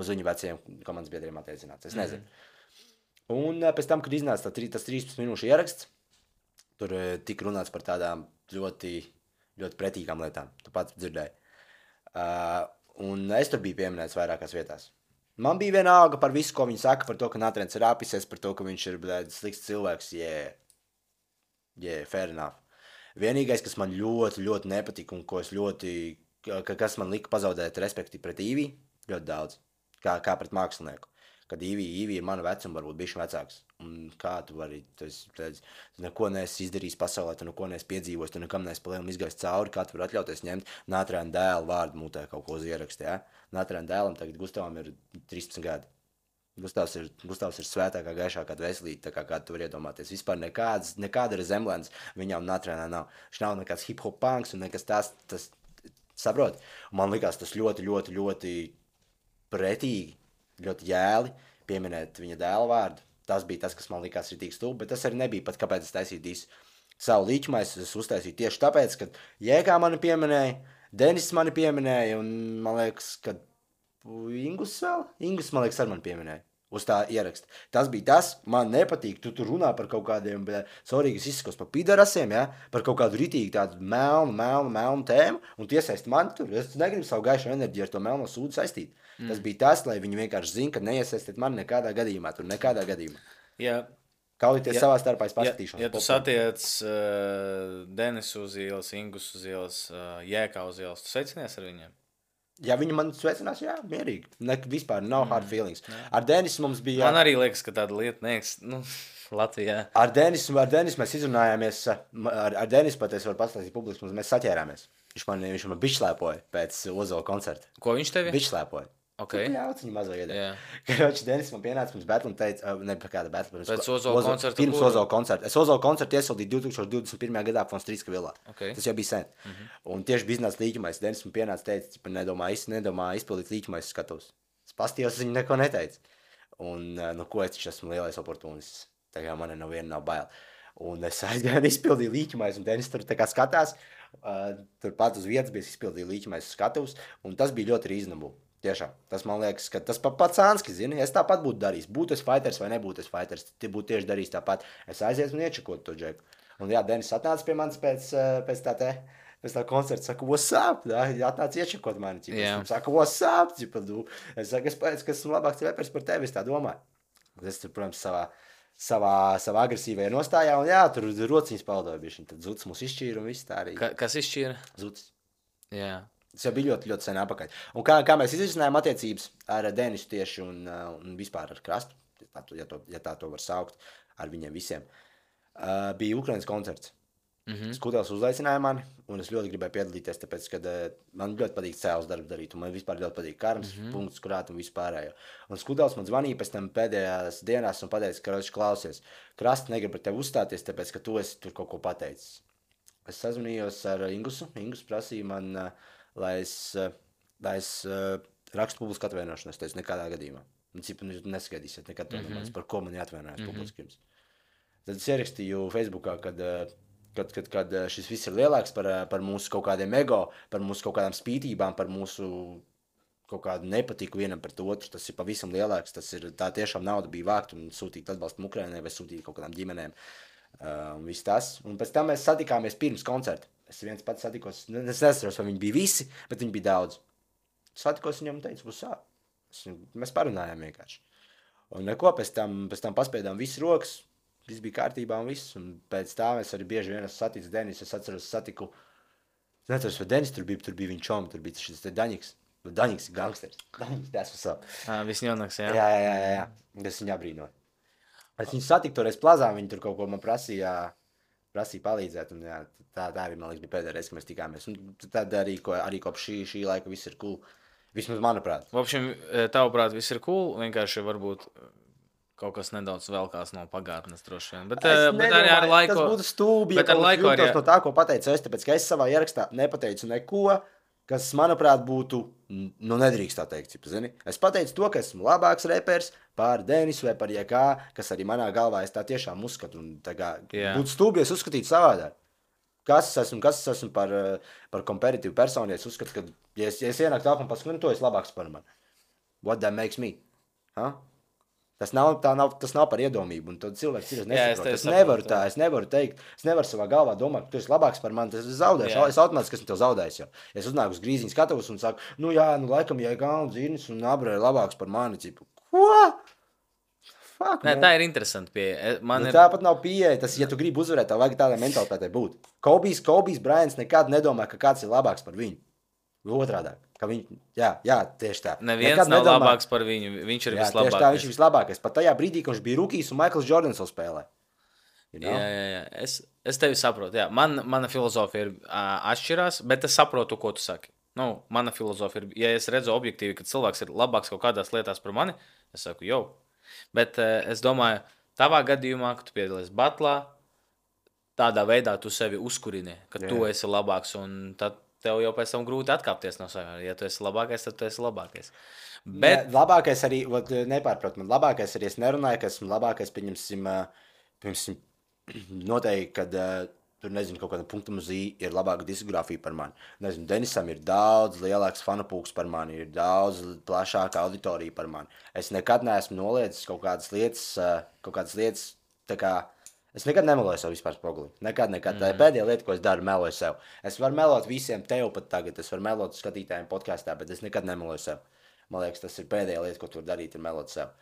viņu veciem komandas biedriem attiecināts. Es nezinu. Un pēc tam, kad iznāca tas 13 minūšu ieraksts, tur tika runāts par tādām ļoti, ļoti pretīgām lietām. Tu pats dzirdēji. Un es tur biju pieminēts vairākās vietās. Man bija vienalga par visu, ko viņi saka, par to, ka Nātrēns ir apisies, par to, ka viņš ir slikts cilvēks. Fair enough. Vienīgais, kas man ļoti, ļoti nepatika un ko es kas man lika pazaudēt respekti pret Īvī, ļoti daudz, kā pret mākslinieku. Kad Īvī ir mana vecuma, varbūt bišķi vecāks. Un kā tu vari, tu neko neesi izdarījis pasaulē, tu neko neesi piedzīvojis, tu nekam neesi palielam izgājis cauri, kā tu vari atļauties ņemt Nātrēna dēlu vārdu mutē kaut ko uz ierakstu, jā? Nātrēna dēlam tagad Gustavam ir 13 gadi. Gustavs ir svētākā, gaišākā veselīte, kā tu vari iedomāties. Vispār nekāda resemblance viņam Nātrēnā nav. Viņš nav nekāds hip-hop punks un nekas tas saprot. Un man likās tas ļoti, ļoti, ļoti pretīgi, ļoti jēli pieminēt viņa dēla vārdu. Tas bija tas, kas man likās ritīgi stulbi, bet tas arī nebija pat, kāpēc es taisīju savu līķumaisu. Es uztaisīju tieši tāpēc, ka Jēkā mani pieminēja, Denis mani pieminēja, un man liekas, ka Ingus, man liekas, ar mani pieminēja uz tā ieraksta. Tas bija tas, man nepatīk, tu tur runā par kaut kādiem, sorry, kas izskos par pidarasiem, ja? Par kaut kādu ritīgi tādu melnu tēmu, un tu iesaisti mani tur. Es negribu savu gaišu enerģiju ar to melno sūdu saistīt. Tas bija tas, lai viņi vienkārši zina, ka neiesaistīt mani nekādā gadījumā. Jā. Kaulīties savā starpā paskatīšanos. Ja tu satiec Denisu uz ielas, Ingus uz ielas, Jēkā uz ielas, tu sveicinies ar viņiem? Ja viņi man sveicinās, jā, mierīgi. Vispār nav hard feelings. Ar Denisu mums bija... Man arī liekas, ka tāda lieta Latvijā. Ar Denisu mēs izrunājāmies. Ar Denisu pat es varu pastāstīt publiski, mēs saķērāmies. Viņš man bišķlēpoja pēc Ozola koncerta. Ko viņš tevi? Bišķlēpoja. Okay. Ļauts viņu mazo iedēļ. Karoči, Denis man pienāca pirms battle un teica, ne par kāda battle. Pēc Ozola koncerta? Pirms Ozola koncerta. Es Ozola koncertu iesildīju 2021. gadā Fonstrīska vilā. Okay. Tas jau bija sen. Un tieši biznesa līķumais. Denis man pienāca teica, nedomā izpildīt līķumais skatos. Es pastījos, viņu neko neteica. Un, ko es taču esmu lielais oportunists. Tā kā man nav bail. Un es aizgāju un izpildīju līķimais, un Denis tur tā kā skatās. Turpat uz vietas bija izpildīju līķimais skatuves, un tas bija ļoti reasonable. Tiešām. Tas man liekas, ka tas pats Anski, zini, es tāpat būtu darījis. Būtu es fighters vai nebūtu es fighters, tie būtu tieši darījis tāpat. Es aizietu un iečakotu to džeku. Un jā, Denis atnāca pie manis pēc tā koncerta, saka, what's up? Atnāca iečakot mani. Es saku, what's up? Es saku, es pēc, ka esmu labāks repers par tevi, es tā domāju. Es tur, protams, savā agresīvajā nostājā, un jā, tur rociņas paldoja bišķiņ. Tad Zuds mūs izšķīra un viss tā arī. Kas izšķīra? Zuds. Jā. Tas jau bija ļoti, ļoti sen apakaļ. Un kā mēs izrisinājām attiecības ar Denisu tieši un vispār ar Krastu, ja tā to var saukt, ar viņiem visiem, bija Ukrainas koncerts. Skudels uzaicināja mani, un es ļoti gribēju piedalīties, tāpēc, ka man ļoti patīk cēlus darbu darīt, un man vispār ļoti patīk karmas, punkts, kurāt un vispārējo. Un Skudels man zvanīja pēc tam pēdējās dienās un pateica, ka klausies, Krasta negrib par tevi uzstāties, tāpēc, ka tu esi tur kaut ko pateicis. Es sazvanījos ar Ingusu. Ingus prasīja man, lai es rakstu publisku atvainošanos. Es teicu, nekādā gadījumā. Jūs neskaidīsiet nekad to nemaz, par ko man jāatvainojas publiski jums. Tad es ierakstīju Facebookā, kad šis viss ir lielāks par mūsu kaut kādiem ego, par mūsu kaut kādām spītībām, par mūsu kaut kādu nepatiku vienam pret otru. Tas ir pavisam lielāks. Tā tiešām nauda bija vākt un sūtīt atbalstu Ukrainai vai sūtīt kaut kādām ģimenēm. Un viss tas. Un pēc tam mēs satikāmies pirms koncerta. Es viens pats satikos, es nesaros, vai viņi bija visi, bet viņi bija daudz. Satikos viņam un teicu, būs sāp. Mēs parunājām vienkārši. Un neko, pēc tam paspēdām visas rokas, viss bija kārtībā un viss. Un pēc tā mēs arī bieži vien saticis Denis. Es atceros, satiku, es neatceros, vai Denis tur bija viņa čomi, tur bija šis te Daņiks. Daņiks ir gangsters. Daņiks, tas var sāp. Visņaunāks, jā. Jā. Es viņu abrīnoju. Es viņu satiku toreiz plazā, viņi tur kaut ko man prasīja palīdzēt, un jā, tā arī, man liekas, bija pēdējā reize, ka mēs tikāmies. Un tad arī kopš šī laika viss ir cool. Vismaz manuprāt. Vopšiem, tavuprāt, viss ir cool, vienkārši varbūt kaut kas nedaudz velkās no pagātnes droši vien. Bet arī ar laiku... Tas būtu stūbi, ja kaut kas jūtos no tā, ko pateicu es, tāpēc, ka es savā ierakstā nepateicu neko, kas, manuprāt, būtu, nedrīkst tā teikt, zini. Es pateicu to, ka esmu labāks repers par Denisu vai par jebkā, kas arī manā galvā es tā tiešām uzskatu. Un tā kā būtu stūbi, es uzskatītu savādāk. Kas es esmu par kompetitīvu personu, ja es uzskatu, ka, ja es ienāku tālāk un paskatu, to es labāks par mani. What that makes me? Huh? Tas nav par iedomību, un tad cilvēks ir nesaprot. Es nevaru teikt, es nevaru savā galvā domāt, ka tu esi labāks par mani, tas es zaudēšu. Es automātiski esmu tev zaudējis jau. Es uznāku uz grīziņu skatavus un saku, laikam, ja Galns, Zirnis un Abrē ir labāks par mani, cipu. Ko? Fuck, nē, tā ir interesanti pieeja. Tāpat nav pieeja, tas, ja tu gribi uzvarēt, tā vajag tādā mentalitātē būt. Kobijs Bryants nekad nedomā, ka kāds ir labāks par viņu. Otrādāk. Jā, tieši tā. Neviens nav labāks par viņu, viņš ir vislabākais. Tieši tā, viņš ir vislabākais. Pat tajā brīdī, kad viņš bija rookies un Michaels Jordans vēl spēlē. You know? Jā. Es tevi saprotu. Jā. Mana filozofija ir atšķirās, bet es saprotu, ko tu saki. Mana filozofija ir, ja es redzu objektīvi, ka cilvēks ir labāks kaut kādās lietās par mani, es saku, jau. Bet es domāju, tavā gadījumā, ka tu piedalies batlā, tādā veidā tu sevi uzkurini, ka tu esi labāks, un tad tev jau pēc tam grūti atkāpties no saviem. Ja tu esi labākais, tad tu esi labākais. Bet... Labākais arī, nepārprot man, labākais arī es nerunāju, ka esmu labākais, pieņemsim, noteikti, kad tur, nezinu, kaut kāda punkta uz I ir labāka diskogrāfija par mani. Nezinu, Denisam ir daudz lielāks fanapūks par mani, ir daudz plašāka auditorija par mani. Es nekad neesmu noliedzis kaut kādas lietas, tā kā es nekad nemeloju sev vispār spoguli. Nekad. Tā ir pēdējā lieta, ko es daru, meloju sev. Es varu melot visiem tev pat tagad, es varu melot skatītājiem podkāstā, bet es nekad nemeloju sev. Man liekas, tas ir pēdējā lieta, ko tu vari darīt, ir melot sev.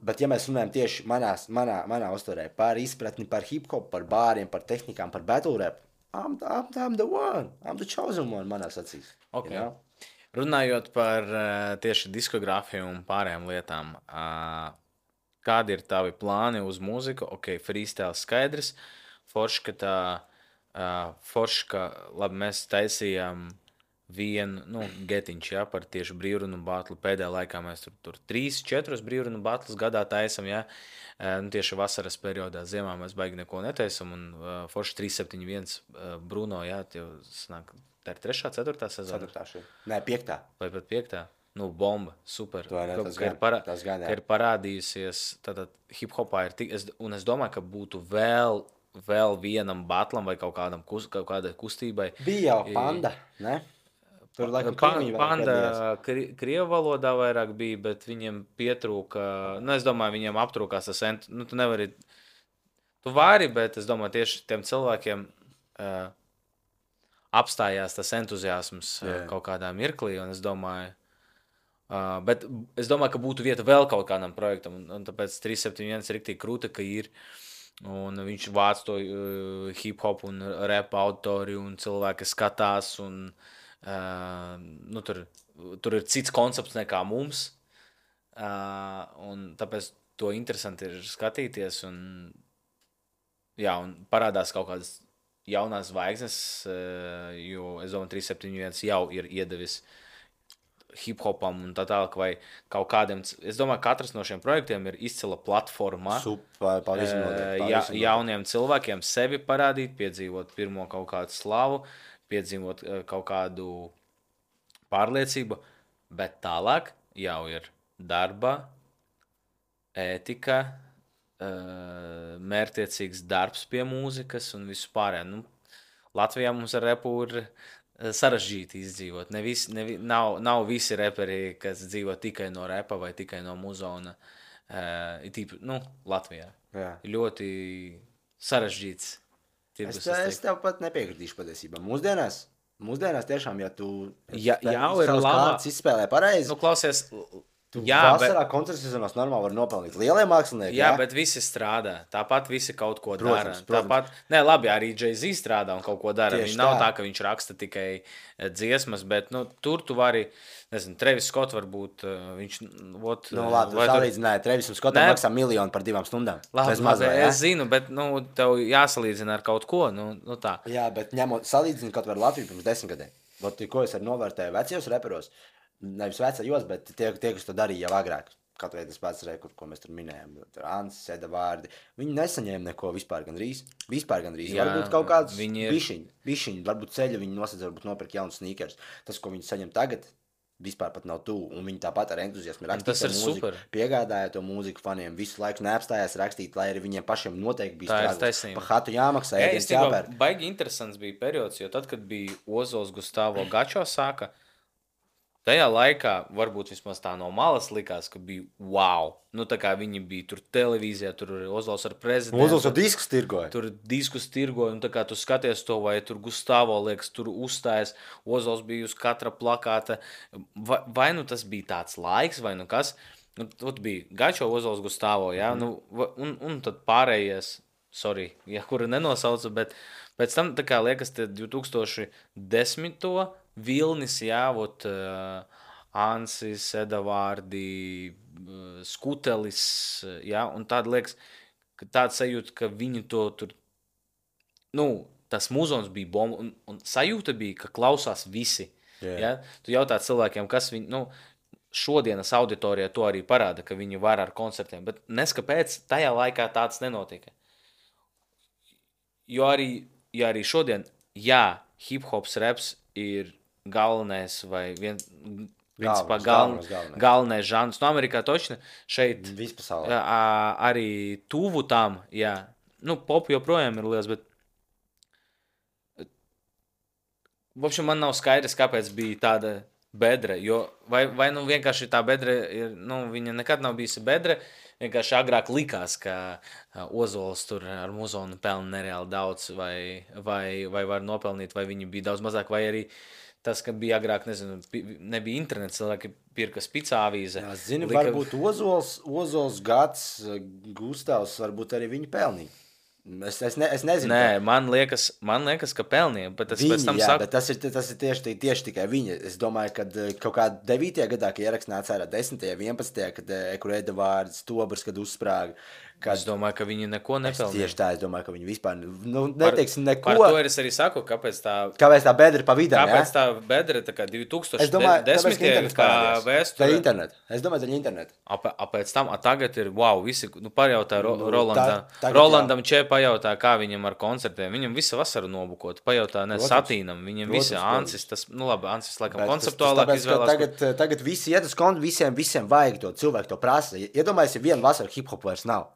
Bet ja mēs runājam tieši manā uztverē par izpratni, par hip-hop, par bāriem, par tehnikām, par battle rap, I'm the one, I'm the chosen one manās acīs. Okay. You know? Runājot par tieši diskogrāfiju un pārējām lietām, kādi ir tavi plāni uz mūziku? Ok, freestyle skaidrs. Forši, labi, mēs taisījām vienu getiņš, jā, par tieši brīvrunu batlu. Pēdējā laikā mēs tur 3-4 brīvrunu batlus gadā taisam, jā. Tieši vasaras periodā, ziemā mēs baigi neko netaisam, un forši 371 Bruno, jā, tie sanāk, tā ir 3., 4. sezona? 4. Nē, 5. Vai pat 5. Nu, bomba, super. Tas gan, ka ir parādījusies, tātad hip-hopā ir tik, un es domāju, ka būtu vēl vienam batlam vai kaut kādai kustībai. Bija jau Panda, ne? Tur laikam Panda krievu valodā vairāk bija, bet viņiem pietrūka, nu es domāju, viņiem aptrūkās tas, nu tu nevari, tu vari, bet es domāju, tieši tiem cilvēkiem apstājās tas entuziasms kaut kādā mirklī, un es domāju, bet es domāju, ka būtu vieta vēl kaut kādam projektam, un tāpēc 371 ir riktīgi krūta, ka ir, un viņš vāc to hip-hop un rap autori, un cilvēki skatās, un nu, tur ir cits koncepts nekā mums, un tāpēc to interesanti ir skatīties, un, jā, un parādās kaut kādas jaunās zvaigznes, jo es domāju, 371 jau ir iedevis hip-hopam un tā tālāk, vai kaut kādiem, es domāju, katrs no šiem projektiem ir izcila platforma jauniem cilvēkiem sevi parādīt, piedzīvot pirmo kaut kādu slavu, piedzīvot kaut kādu pārliecību, bet tālāk jau ir darba, ētika, mērķtiecīgs darbs pie mūzikas un visu pārējā. Nu, Latvijā mums ar repu ir sarežģīti izdzīvot. Nav visi reperi, kas dzīvo tikai no repa vai tikai no muzona. Nu, Latvijā. Jā. Ļoti sarežģīts. Es tev pat nepiekritīšu patiesībā. Mūsdienās tiešām, ja tu kāds izspēlē pareizi, nu, klausies, tu vasarā koncerts sezonās normāli var nopelnīt lielie mākslinieki. Jā, bet visi strādā. Tāpat visi kaut ko dara. Tāpat, labi, arī Jay-Z strādā un kaut ko dara. Viņš nav tā, ka viņš raksta tikai dziesmas, bet nu, tur tu vari, nezinu, Travis Scott varbūt, viņš, salīdzināja, Travis Scottam maksā 1 miljonu par 2 stundām. Labi, es zinu, bet, nu, tev jāsalīdzina ar kaut ko, nu tā. Jā, bet salīdzina kaut var Latviju pirms 10 gadiem. Ko es arī novērtēju vecajos reperos, nevis vecajos, bet tie, kas to darīja jau agrāk. Kaut vai tas pats rekords, ko mēs tur minējām. Tur Ansis, Edavārdi. Viņi nesaņēma neko vispār gandrīz. Jā, varbūt kaut kāds bišķiņi. Varbūt ceļa viņi nosedz, varbūt nopirkt jaunus sneakers. Tas, ko viņi saņem tagad, vispār pat nav tuvu. Un viņi tāpat ar entuziasmu rakstīt to mūziku. Super. Piegādāja to mūziku faniem. Visu laiku neapstājās rakstīt, lai arī viņiem pašiem noteikti bija strādā. Pa hatu jāmaksā, ēdiens jāpēr. Baigi interesants bija periods, jo tad, kad bija Ozols Gustavo Gačo sāka, tajā laikā, varbūt vismaz tā no malas likās, ka bija wow. Nu, tā kā viņi bija tur televīzijā, tur Ozols ar prezidentu. Ozols ar diskus tirgoja. Tur diskus tirgoja, un tā kā tu skaties to, vai tur Gustavo liekas, tur uzstājas. Ozols bija uz katra plakāta. Vai nu tas bija tāds laiks, vai nu kas. Nu, tur bija Gačo, Ozols, Gustavo, jā. Nu, un tad pārējais, sorry, ja kura nenosauca, bet pēc tam, tā kā liekas, 2010. Vilnis, jā, Ansis, Edavārdi, Skutelis, jā, un tāda liekas, ka tāda sajūta, ka viņi to tur, nu, tas muzons bija bomba, un sajūta bija, ka klausās visi, jā. Tu jautā cilvēkiem, kas viņi, nu, šodienas auditorijā to arī parāda, ka viņi var ar koncertiem, bet neskapēc tajā laikā tāds nenotika. Jo arī šodien, jā, hip-hops reps ir galvenais vai galvenais žanrs. No Amerikā točni šeit arī tuvu tam, jā. Nu, pop joprojām ir liels, bet man nav skaidrs, kāpēc bija tāda bedre, jo vai nu vienkārši tā bedre ir, nu, viņa nekad nav bijusi bedre, vienkārši agrāk likās, ka Ozols tur ar muzonu pelna nereāli daudz, vai var nopelnīt, vai viņi bija daudz mazāk, vai arī tas, ka bija agrāk, nezinu, nebija internets, cilvēki pirka spicā avīze. Jā, zini, varbūt Ozols, Gats, Gustavs, varbūt arī viņi pelnīja. Es nezinu. Nē, man liekas, ka pelnīja, bet tas pēc tam saka. Bet tas ir tieši tikai viņi. Es domāju, ka kaut kā 9. gadā, kad ieraksts nāca ārā 10. 11. kad kur Edavārds, Tobrs, kad uzsprāga. Es domāju, ka viņi neko nepelnīja. Tieši tā, es domāju, ka viņi vispār, nu, neteiksim neko. Par to es arī saku, kāpēc tā bedre pa vidām, kāpēc tā bedre, tā kā 2010. kā vēsture. Es domāju, daļa internetu. Pēc tam, tagad ir, wow, visi, nu, parjautā Rolandam Čepa pajautā, kā viņam ar koncertiem. Viņam visa vasara nobukot. Pajautā, ne Satīnam. Viņam visi Ansis, tas, nu labi, Ansis laikam konceptuālāk izvēlās. Tagad visi iet uz kontu, visiem vajag to, cilvēku to prasa. Iedomājies, ja vienu vasaru hip-hop vairs nav.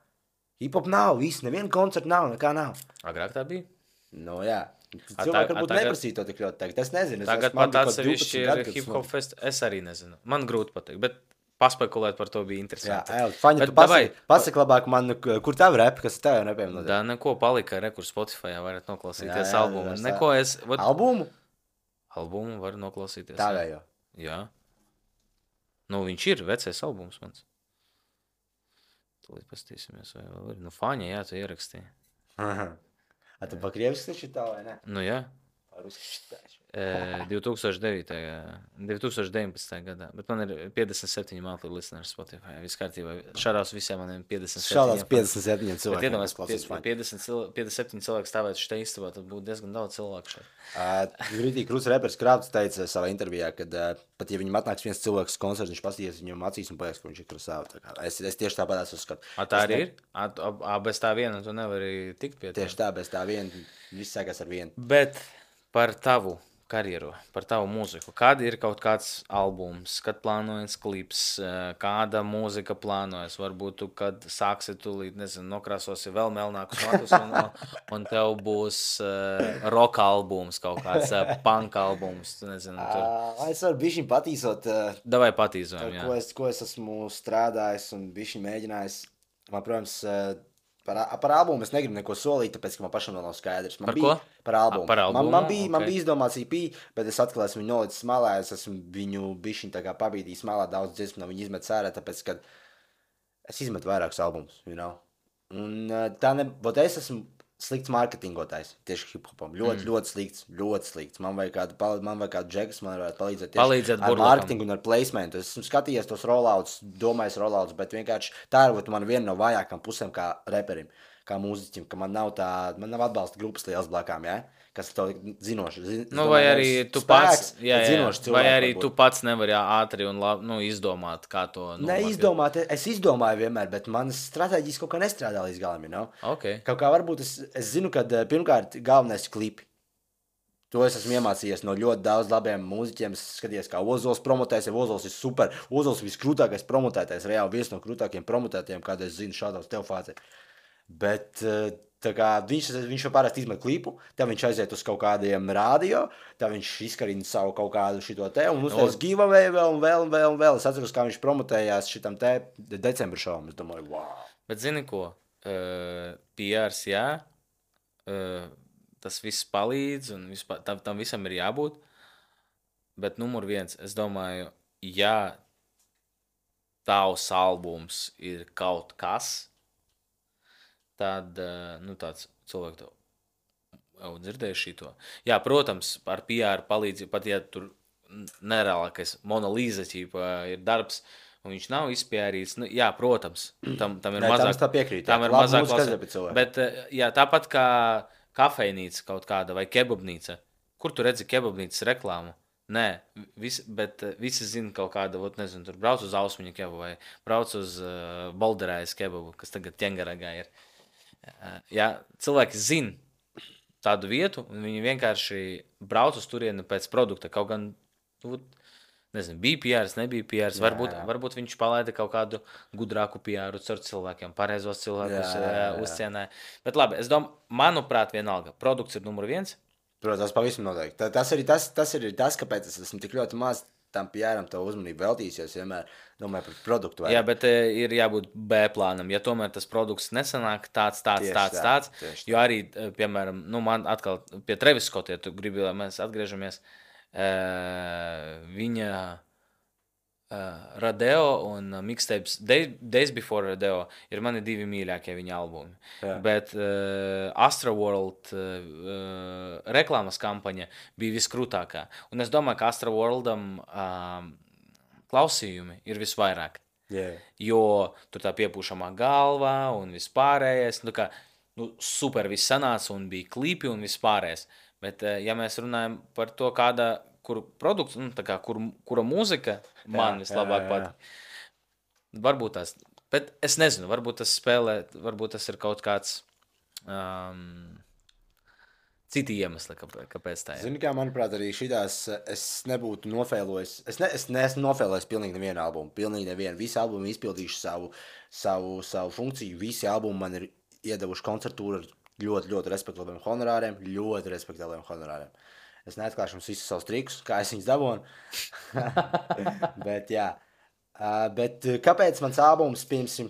Hip-hop nav, viss, nevienu koncertu nav, nekā nav. Agrāk tā bija? Nu jā. Cilvēki varbūt neprasīja to tik ļoti tagad. Es nezinu. Tagad pat atsevišķi ir hip-hop fest. Es arī nezinu. Man grūti pateikt, bet paspekulēt par to bija interesanti. Jā, Faņa, tu pasaki labāk man, kur tavu repi, kas tev jau nepiem notiek? Da, neko palika, kur Spotify'ā varat noklausīties albumu. Neko es... Albumu? Albumu var noklausīties. Tā vēl jau. Jā. Nu, viņš ir vecais albums mans. Tūlīt pastīsimies, vai vēl ir. Nu, Faņa, jā, tu ierakstīji. A tu pa krieviski taču tā, vai ne? Nu, jā. 2019. gadā, bet man ir 57 monthly listeners Spotify. Viss kārtībā. Šādās visiem maniem 57. Šādās 57 cilvēki. Bet iedomājies, 57 cilvēki stāvētu šeit istabā, tad būtu diezgan daudz cilvēku šeit. Rītīgi krūts repers Krāpts teica savā intervijā, kad pat ja viņam atnāks viens cilvēks koncerts, viņš pasties viņam acīs un paies, ka viņš ir krasāvu. Es tieši tāpat esmu uzskatu. Tā arī ir? Bez tā viena tu nevari tikt pie tā? Tieši tā, bez tā viena. Viss sākās ar vienu. Bet par tavu karjeru, par tavu mūziku. Kad ir kaut kāds albums, kad plānojas klips, kāda mūzika plānojas? Varbūt tu, kad sāksi tūlīt, nezinu, nokrāsosi vēl melnākus matus un tev būs rock albums, kaut kāds punk albums, tu nezinu. Es varu bišķiņ patīsot. Davai patīzojam, jā. Ko es esmu strādājis un bišķiņ mēģinājis. Man, protams, par albumu es negribu neko solīt, tāpēc, ka man pašam vēl nav skaidrs. Par ko? Par albumu. Par albumu? Man bija izdomāts EP, bet es atkal esmu viņu nolicis malā, es esmu viņu bišķiņ tā kā pabīdījis malā daudz dziesmu, no viņu izmet sērē, tāpēc, ka es izmetu vairākus albumus, you know. Un vot es esmu slikts mārketingotājs, tieši hip-hopam. Ļoti slikts. Man vajag kādu džekas, man varētu palīdzēt ar mārketingu un ar placementu. Es esmu skatījies tos rollouts, domājis rollouts, bet vienkārši tā ir man viena no vājākām pusēm kā reperim, kā mūziķim, ka man nav atbalsta grupas liels blakām, jā? Kas to zinoši. Nu, vai arī tu pats, vai arī tu pats nevari ātri un labi, izdomāt, kā to Neizdomāt, es izdomāju vienmēr, bet manas stratēģijas kaut kā nestrādā līdz galam, you know? Okay. Kaut kā varbūt es zinu, ka pirmkārt galvenais klipi. To es esmu iemācījies no ļoti daudz labiem mūziķiem. Es skaties, kā Ozols promotēs, ja Ozols ir super. Ozols ir viskrūtākais promotētais, reāli viens no krūtākiem promotētiem, kādu es zinu šādos telefācē. Bet tā kā viņš jau parasti izmet klipu, tad viņš aiziet uz kaut kādiem rādio, tad viņš izkarina savu kaut kādu šito te un uztais giveaway vēl. Es atceros, kā viņš promotējās šitam te decembra šovam. Es domāju, wow. Bet zini ko? PRs, jā. Tas viss palīdz un tam visam ir jābūt. Bet numur viens, es domāju, ja tavs albums ir kaut kas, tad, tāds cilvēku to jau dzirdēju šito. Jā, protams, ar PR palīdzību, pat ja tur nereālākais Monalīza ķīpa ir darbs, un viņš nav izpjērīts, jā, protams, tam ir mazāk. Tā piekrīt. Tam ir mazāk klasē. Bet, jā, tāpat kā kafejnīca kaut kāda vai kebabnīca. Kur tu redzi kebabnīcas reklāmu? Nē, bet visi zina kaut kādu, nezinu, tur brauc uz Ausmiņa kebabu vai brauc uz Bolderājas kebabu, kas tagad Ķengaragā ir. Jā, cilvēki zina tādu vietu, un viņi vienkārši brauc uz turieni pēc produkta. Kaut gan, nezinu, bija PRs, nebija PRs. Varbūt viņš palaida kaut kādu gudrāku PRu caur cilvēkiem, pareizos cilvēkus uzcienāja. Bet labi, es domāju, manuprāt, vienalga. Produkts ir numur viens. Protams, tas pavisam noteikti. Tas ir tas, kāpēc es esmu tik ļoti maz tam PRam to uzmanību veltījis, jo es vienmēr domāju par produktu. Jā, bet ir jābūt B plānam. Ja tomēr tas produkts nesanāk tāds, jo arī, piemēram, man atkal pie Travis Scott, ja tu gribi, lai mēs atgriežamies, viņa Rodeo un mixtapes Days Before Rodeo ir mani divi mīļākie viņa albumi. Jā. Bet Astroworld reklāmas kampaņa bija viskrūtākā. Un es domāju, ka Astroworldam klausījumi ir visvairāk. Yeah. Jo tur tā piepūšamā galvā un vispārējais. Super viss sanāca un bija klipi un vispārējais. Bet ja mēs runājam par to, kur produkts, kura mūzika man vislabāk patīk. Varbūt tas, bet es nezinu, varbūt tas spēlē, varbūt tas ir kaut kāds citi iemesli, kāpēc tā ir. Zini, kā manuprāt, arī šitās es nebūtu nofēlojis. Es neesmu nofēlojis pilnīgi nevienu albumu. Pilnīgi nevienu. Visi albumi izpildījuši savu funkciju. Visi albumi man ir iedevuši koncertūru ar ļoti respektabliem honorāriem. Ļoti respektabliem honorāriem. Es neatklāšu jums visus savus trikus, kā es viņus dabūnu. Bet, jā. Bet kāpēc mans albums, piemēram,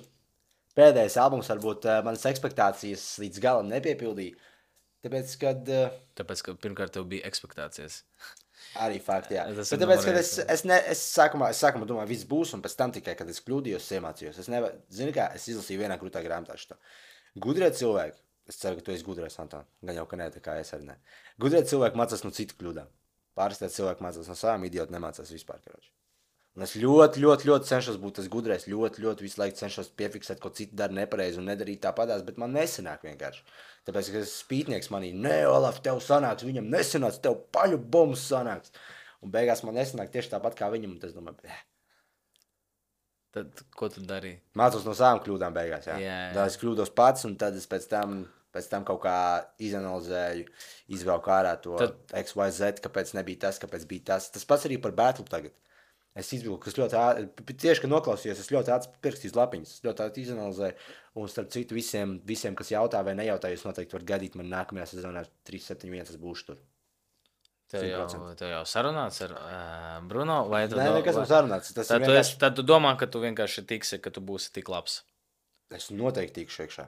pēdējais albums, varbūt manas expectācijas līdz galam nepiepildīja? Tāpēc, ka pirmkārt tev bija expectācijas. Arī fakti, jā. Bet tāpēc, ka es sākumā domāju, viss būs, un pēc tam tikai, kad es kļūdījos, es iemācījos. Zini kā, es izlasīju vienā krūtā grāmatā šo. Gudrie cilvēki, es ceru, ka tu esi gudrais, Anton. Gan jau, ka nē, tā kā es arī ne. Gudrie cilvēki mācās no citu kļūdām. Pārstāvēt cilvēki mācās no savām, idioti nemācās vispār, karoči. Un es ļoti cenšos būt tas gudrais, ļoti visu laiku cenšos piefiksēt, ko citi dara nepareizi un nedarīt tāpatās, bet man nesanāk vienkārši. Tāpēc, ka spītnieks manī, nē, Olaf, tev sanāks, viņam nesanāks, tev paļu bombs sanāks. Un beigās man nesanāk tieši tāpat kā viņam, un tas domāju, Tad, ko tu darīji? Mācos no savām kļūdām beigās, jā. Tad es kļūdos pats, un tad es pēc tam kaut kā izanalizēju, izvelku ārā to X, Y, Z, kāpēc nebija tas, kāpēc bija tas. Tas pats arī par Battle tagad. Es izvilku, kas ļoti ātri, tieši, kad noklausījos, es ļoti ātri pierakstīju lapiņas, es ļoti ātri izanalizēju, un starp citu visiem, kas jautā vai nejautā, jūs noteikti varat gaidīt man nākamajā sezonā 371, es būšu tur. Tev jau sarunāts ar Bruno? Vai Nē, nekas nav sarunāts. Tad tu domā, ka tu vienkārši tiksi, ka tu būsi tik labs. Es noteikti tikšu iekšā.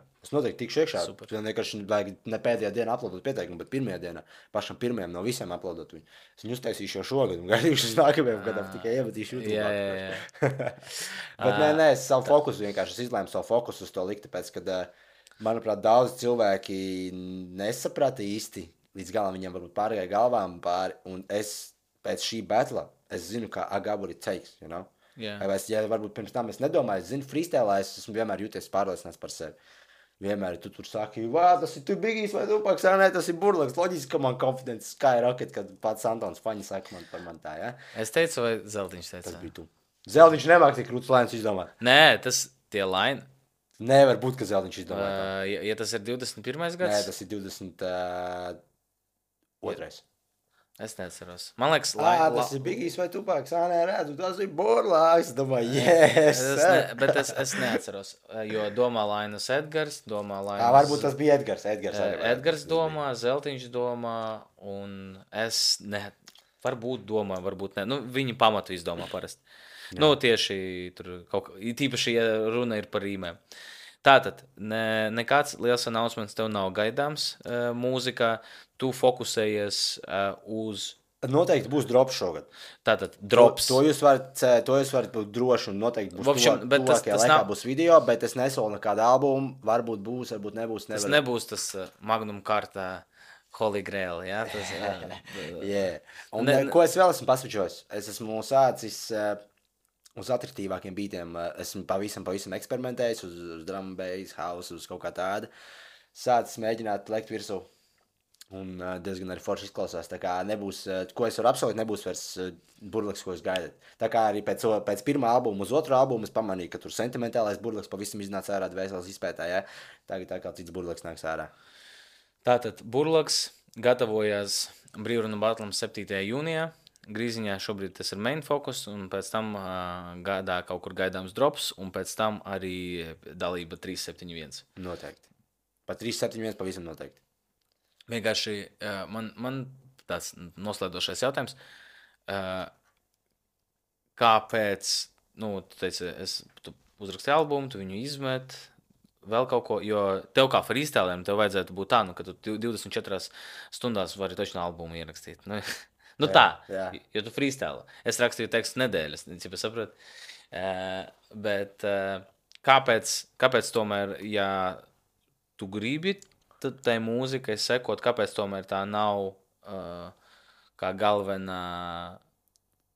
Super. Vienkārši vajag ne pēdējā dienā uploadot pieteikumu, bet pirmajā dienā, pašam pirmajam no visiem uploadot viņu. Es viņu uztaisīšu jau šogad un gaidīšu uz nākamajam gadam, tikai iemetīšu YouTube. Jā. Bet nē, es savu fokusu vienkārši izlēmu savu fokusu uz to likt, tāpēc, kad, manuprāt, daudz cilvēki nesaprata īsti, līdz galam viņiem varbūt pārgāja galvām pāri, un es pēc šī batla, es zinu, kā agaburi takes, you know? Yeah. Ja varbūt pirms tam es nedomāju, es zinu, freestēlā es esmu vienmēr jūties pārliecināts par sevi. Vienmēr tu tur saki, tas ir tu Bigijs vai Tupaks, nē, tas ir Burlaks. Loģiski, ka man confidence skyrocket, kad pats Antons Faņi saka man par man tā, ja? Es teicu, vai Zeltiņš teica? Tas bija tu. Zeltiņš nemāk tik krūts lēns izdomāt. Nē, tas tie laini. Nevar būt, ka Zeltiņš izdomāt. Ja tas ir 21. gads? Nē, tas ir 22. Es neatceros. Man liekas, tas ir Bigijs vai Tupaks. Nē, redzu, tas ir Burlaks. Domāju, yes. Bet es neatceros, jo domā Lainas Edgars, domā Lainas... Varbūt tas bija Edgars. Edgars domā, Zeltiņš domā, un es varbūt domāju, varbūt ne. Nu, viņi pamatu izdomā parasti. Jā. Nu, tieši tur kaut kā, tīpaši, ja runa ir par rīmēm. Tātad, nekāds liels announcements tev nav gaidāms mūzikā. Tu fokusējies uz... Noteikti būs drops šogad. Tātad, drops. To jūs varat būt droši un noteikti būs tuvākajā laikā būs video, bet es nesolu nekādu albumu. Varbūt būs, varbūt nebūs. Tas nebūs tas Magnum kārtā Holy Grail, jā? Yeah. Un ko es vēl esmu pasvičojis? Es esmu sācis uz atraktīvākiem beatiem. Esmu pavisam eksperimentējis uz drum bass, house, uz kaut kā tāda. Sācis mēģināt lekt virsū. Un diezgan arī forši izklausās. Tā kā nebūs, ko es varu apsolīt, nebūs vairs Burlaks, ko jūs gaidat. Tā kā arī pēc pirmā albuma uz otru albumu es pamanīju, ka tur sentimentālais Burlaks pavisam iznāca ārā dvēseles izpētā, ja? Tagad tā kā cits Burlaks nāks ārā. Tātad Burlaks gatavojās Brīvrunu batlam 7. jūnijā. Grīziņā šobrīd tas ir main focus, un pēc tam gadā kaut kur gaidāms drops, un pēc tam arī dalība 371. Noteikti. Pa 371 pavisam noteikti. Vienkārši man tāds noslēdošais jautājums. Kāpēc, tu teici, tu uzrakstīji albumu, tu viņu izmet, vēl kaut ko, jo tev kā freestylēm tev vajadzētu būt tā, ka tu 24 stundās vari taču albumu ierakstīt. Tā, jo tu freestyle. Es rakstīju tekstu nedēļas, ja sapratu. Bet kāpēc tomēr, ja tu gribi tai mūzikai sekot, kāpēc tomēr tā nav kā galvenā...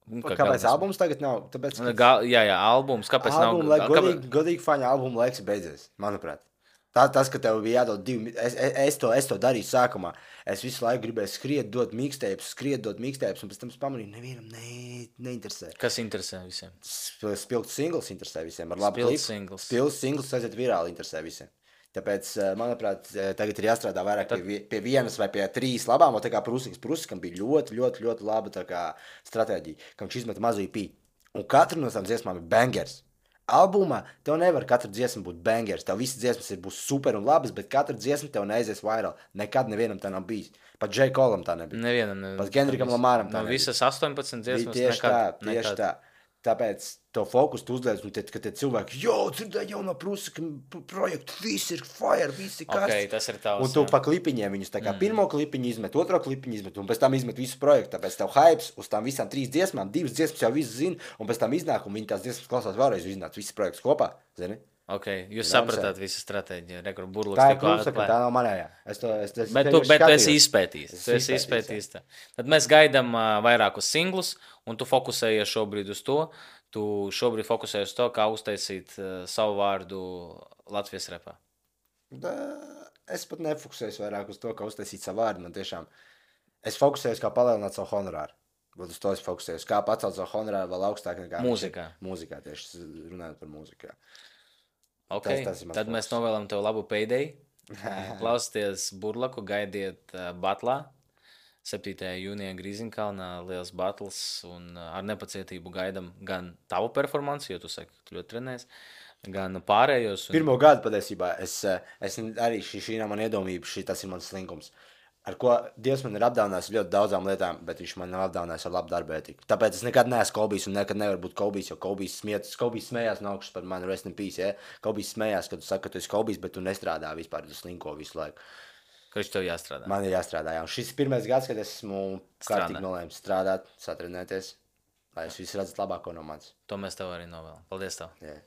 Kāpēc albums tagad nav? Tāpēc, jā, albums. Kāpēc nav? Godīgi faņa albuma laiks beidzies, manuprāt. Tas, ka tev bija jādod 2... Es to darīju sākumā. Es visu laiku gribēju skriet, dot mixtapes, un pēc tam es pamanīju, nevienam neinteresē. Kas interesē visiem? Spilgts singles interesē visiem. Spilgts singles aiziet virāli interesē visiem. Tāpēc, manuprāt, tagad ir jāstrādā vairāk pie vienas vai pie 3 labām. Tā kā Prūsikam bija ļoti laba tā kā stratēģija, ka viņš izmeta mazu IP. Un katra no tām dziesmām ir bangers. Albumā tev nevar katra dziesma būt bangers. Tev visas dziesmas būs super un labas, bet katra dziesma tev neaizies viral. Nekad nevienam tā nav bijis. Pat J. Colam tā nebija. Nevienam. Pat Gendrikam Lamaram tā nebija. Visas 18 dziesmas tieši tā. Tāpēc to fokusu tu uzliec, un kad tie cilvēki, dzirdēju jauno Prūsika projektu, viss ir fire, viss ir karsts. Okay, tas ir tavs. Un tu pa klipiņiem viņus tā kā pirmo klipiņu izmet, otro klipiņu izmet, un pēc tam izmet visu projektu. Tāpēc tev hypes uz tām visām 3 dziesmām, 2 dziesmas jau viss zina, un pēc tam iznāk, un viņi tās dziesmas klausās vēlreiz, iznāc viss projekts kopā, zini? Okay, jūs sapratāt visu stratēģiju. Rekur burluks tā ir Prūsika, tā nav manējā. Bet tu esi izpētījis. Tad mēs gaidām vairākus singlus, un tu fokusējies šobrīd uz to. Tu šobrīd fokusējies uz to, kā uztaisīt savu vārdu Latvijas repā. Es pat nefokusējos vairāk uz to, kā uztaisīt savu vārdu. Man tiešām, es fokusējos, kā palielināt savu honorāru. Uz to es fokusējos, kā pacelt savu honorāru vēl augstāk nekā mūzikā, tieši runājot par mūziku. Okay. Tad mēs novēlam tev labu payday. Klausieties Burlaku, gaidiet batlā. 7. jūnijā Grīziņkalnā liels battles un ar nepacietību gaidam gan tavu performanci, jo tu saki, ka tu ļoti trenēs, gan pārējos. Pirmo gadu patiesībā es arī šī nav man iedomība, tas ir mans slinkums. Ar ko Dievs man ir apdāvinājis ļoti daudzām lietām, bet viņš man nav apdāvinājis ar labu darbu ētiku. Tāpēc es nekad neesmu Kolbijs un nekad nevaru būt Kolbijs, jo Kolbijs smējās no augšas par mani, rest in peace, ja? Kolbijs smējās, kad tu saki, ka tu esi Kolbijs, bet tu nestrādā vispār, tu slinko visu laiku. Ka viņš tev jāstrādā. Man ir jāstrādā, jā. Un šis ir pirmais gads, kad esmu kārtīgi nolēmis strādāt, satrenēties, lai es visu redzētu labāko no manis. To mēs tev arī novēlam. Paldies tev. Yeah.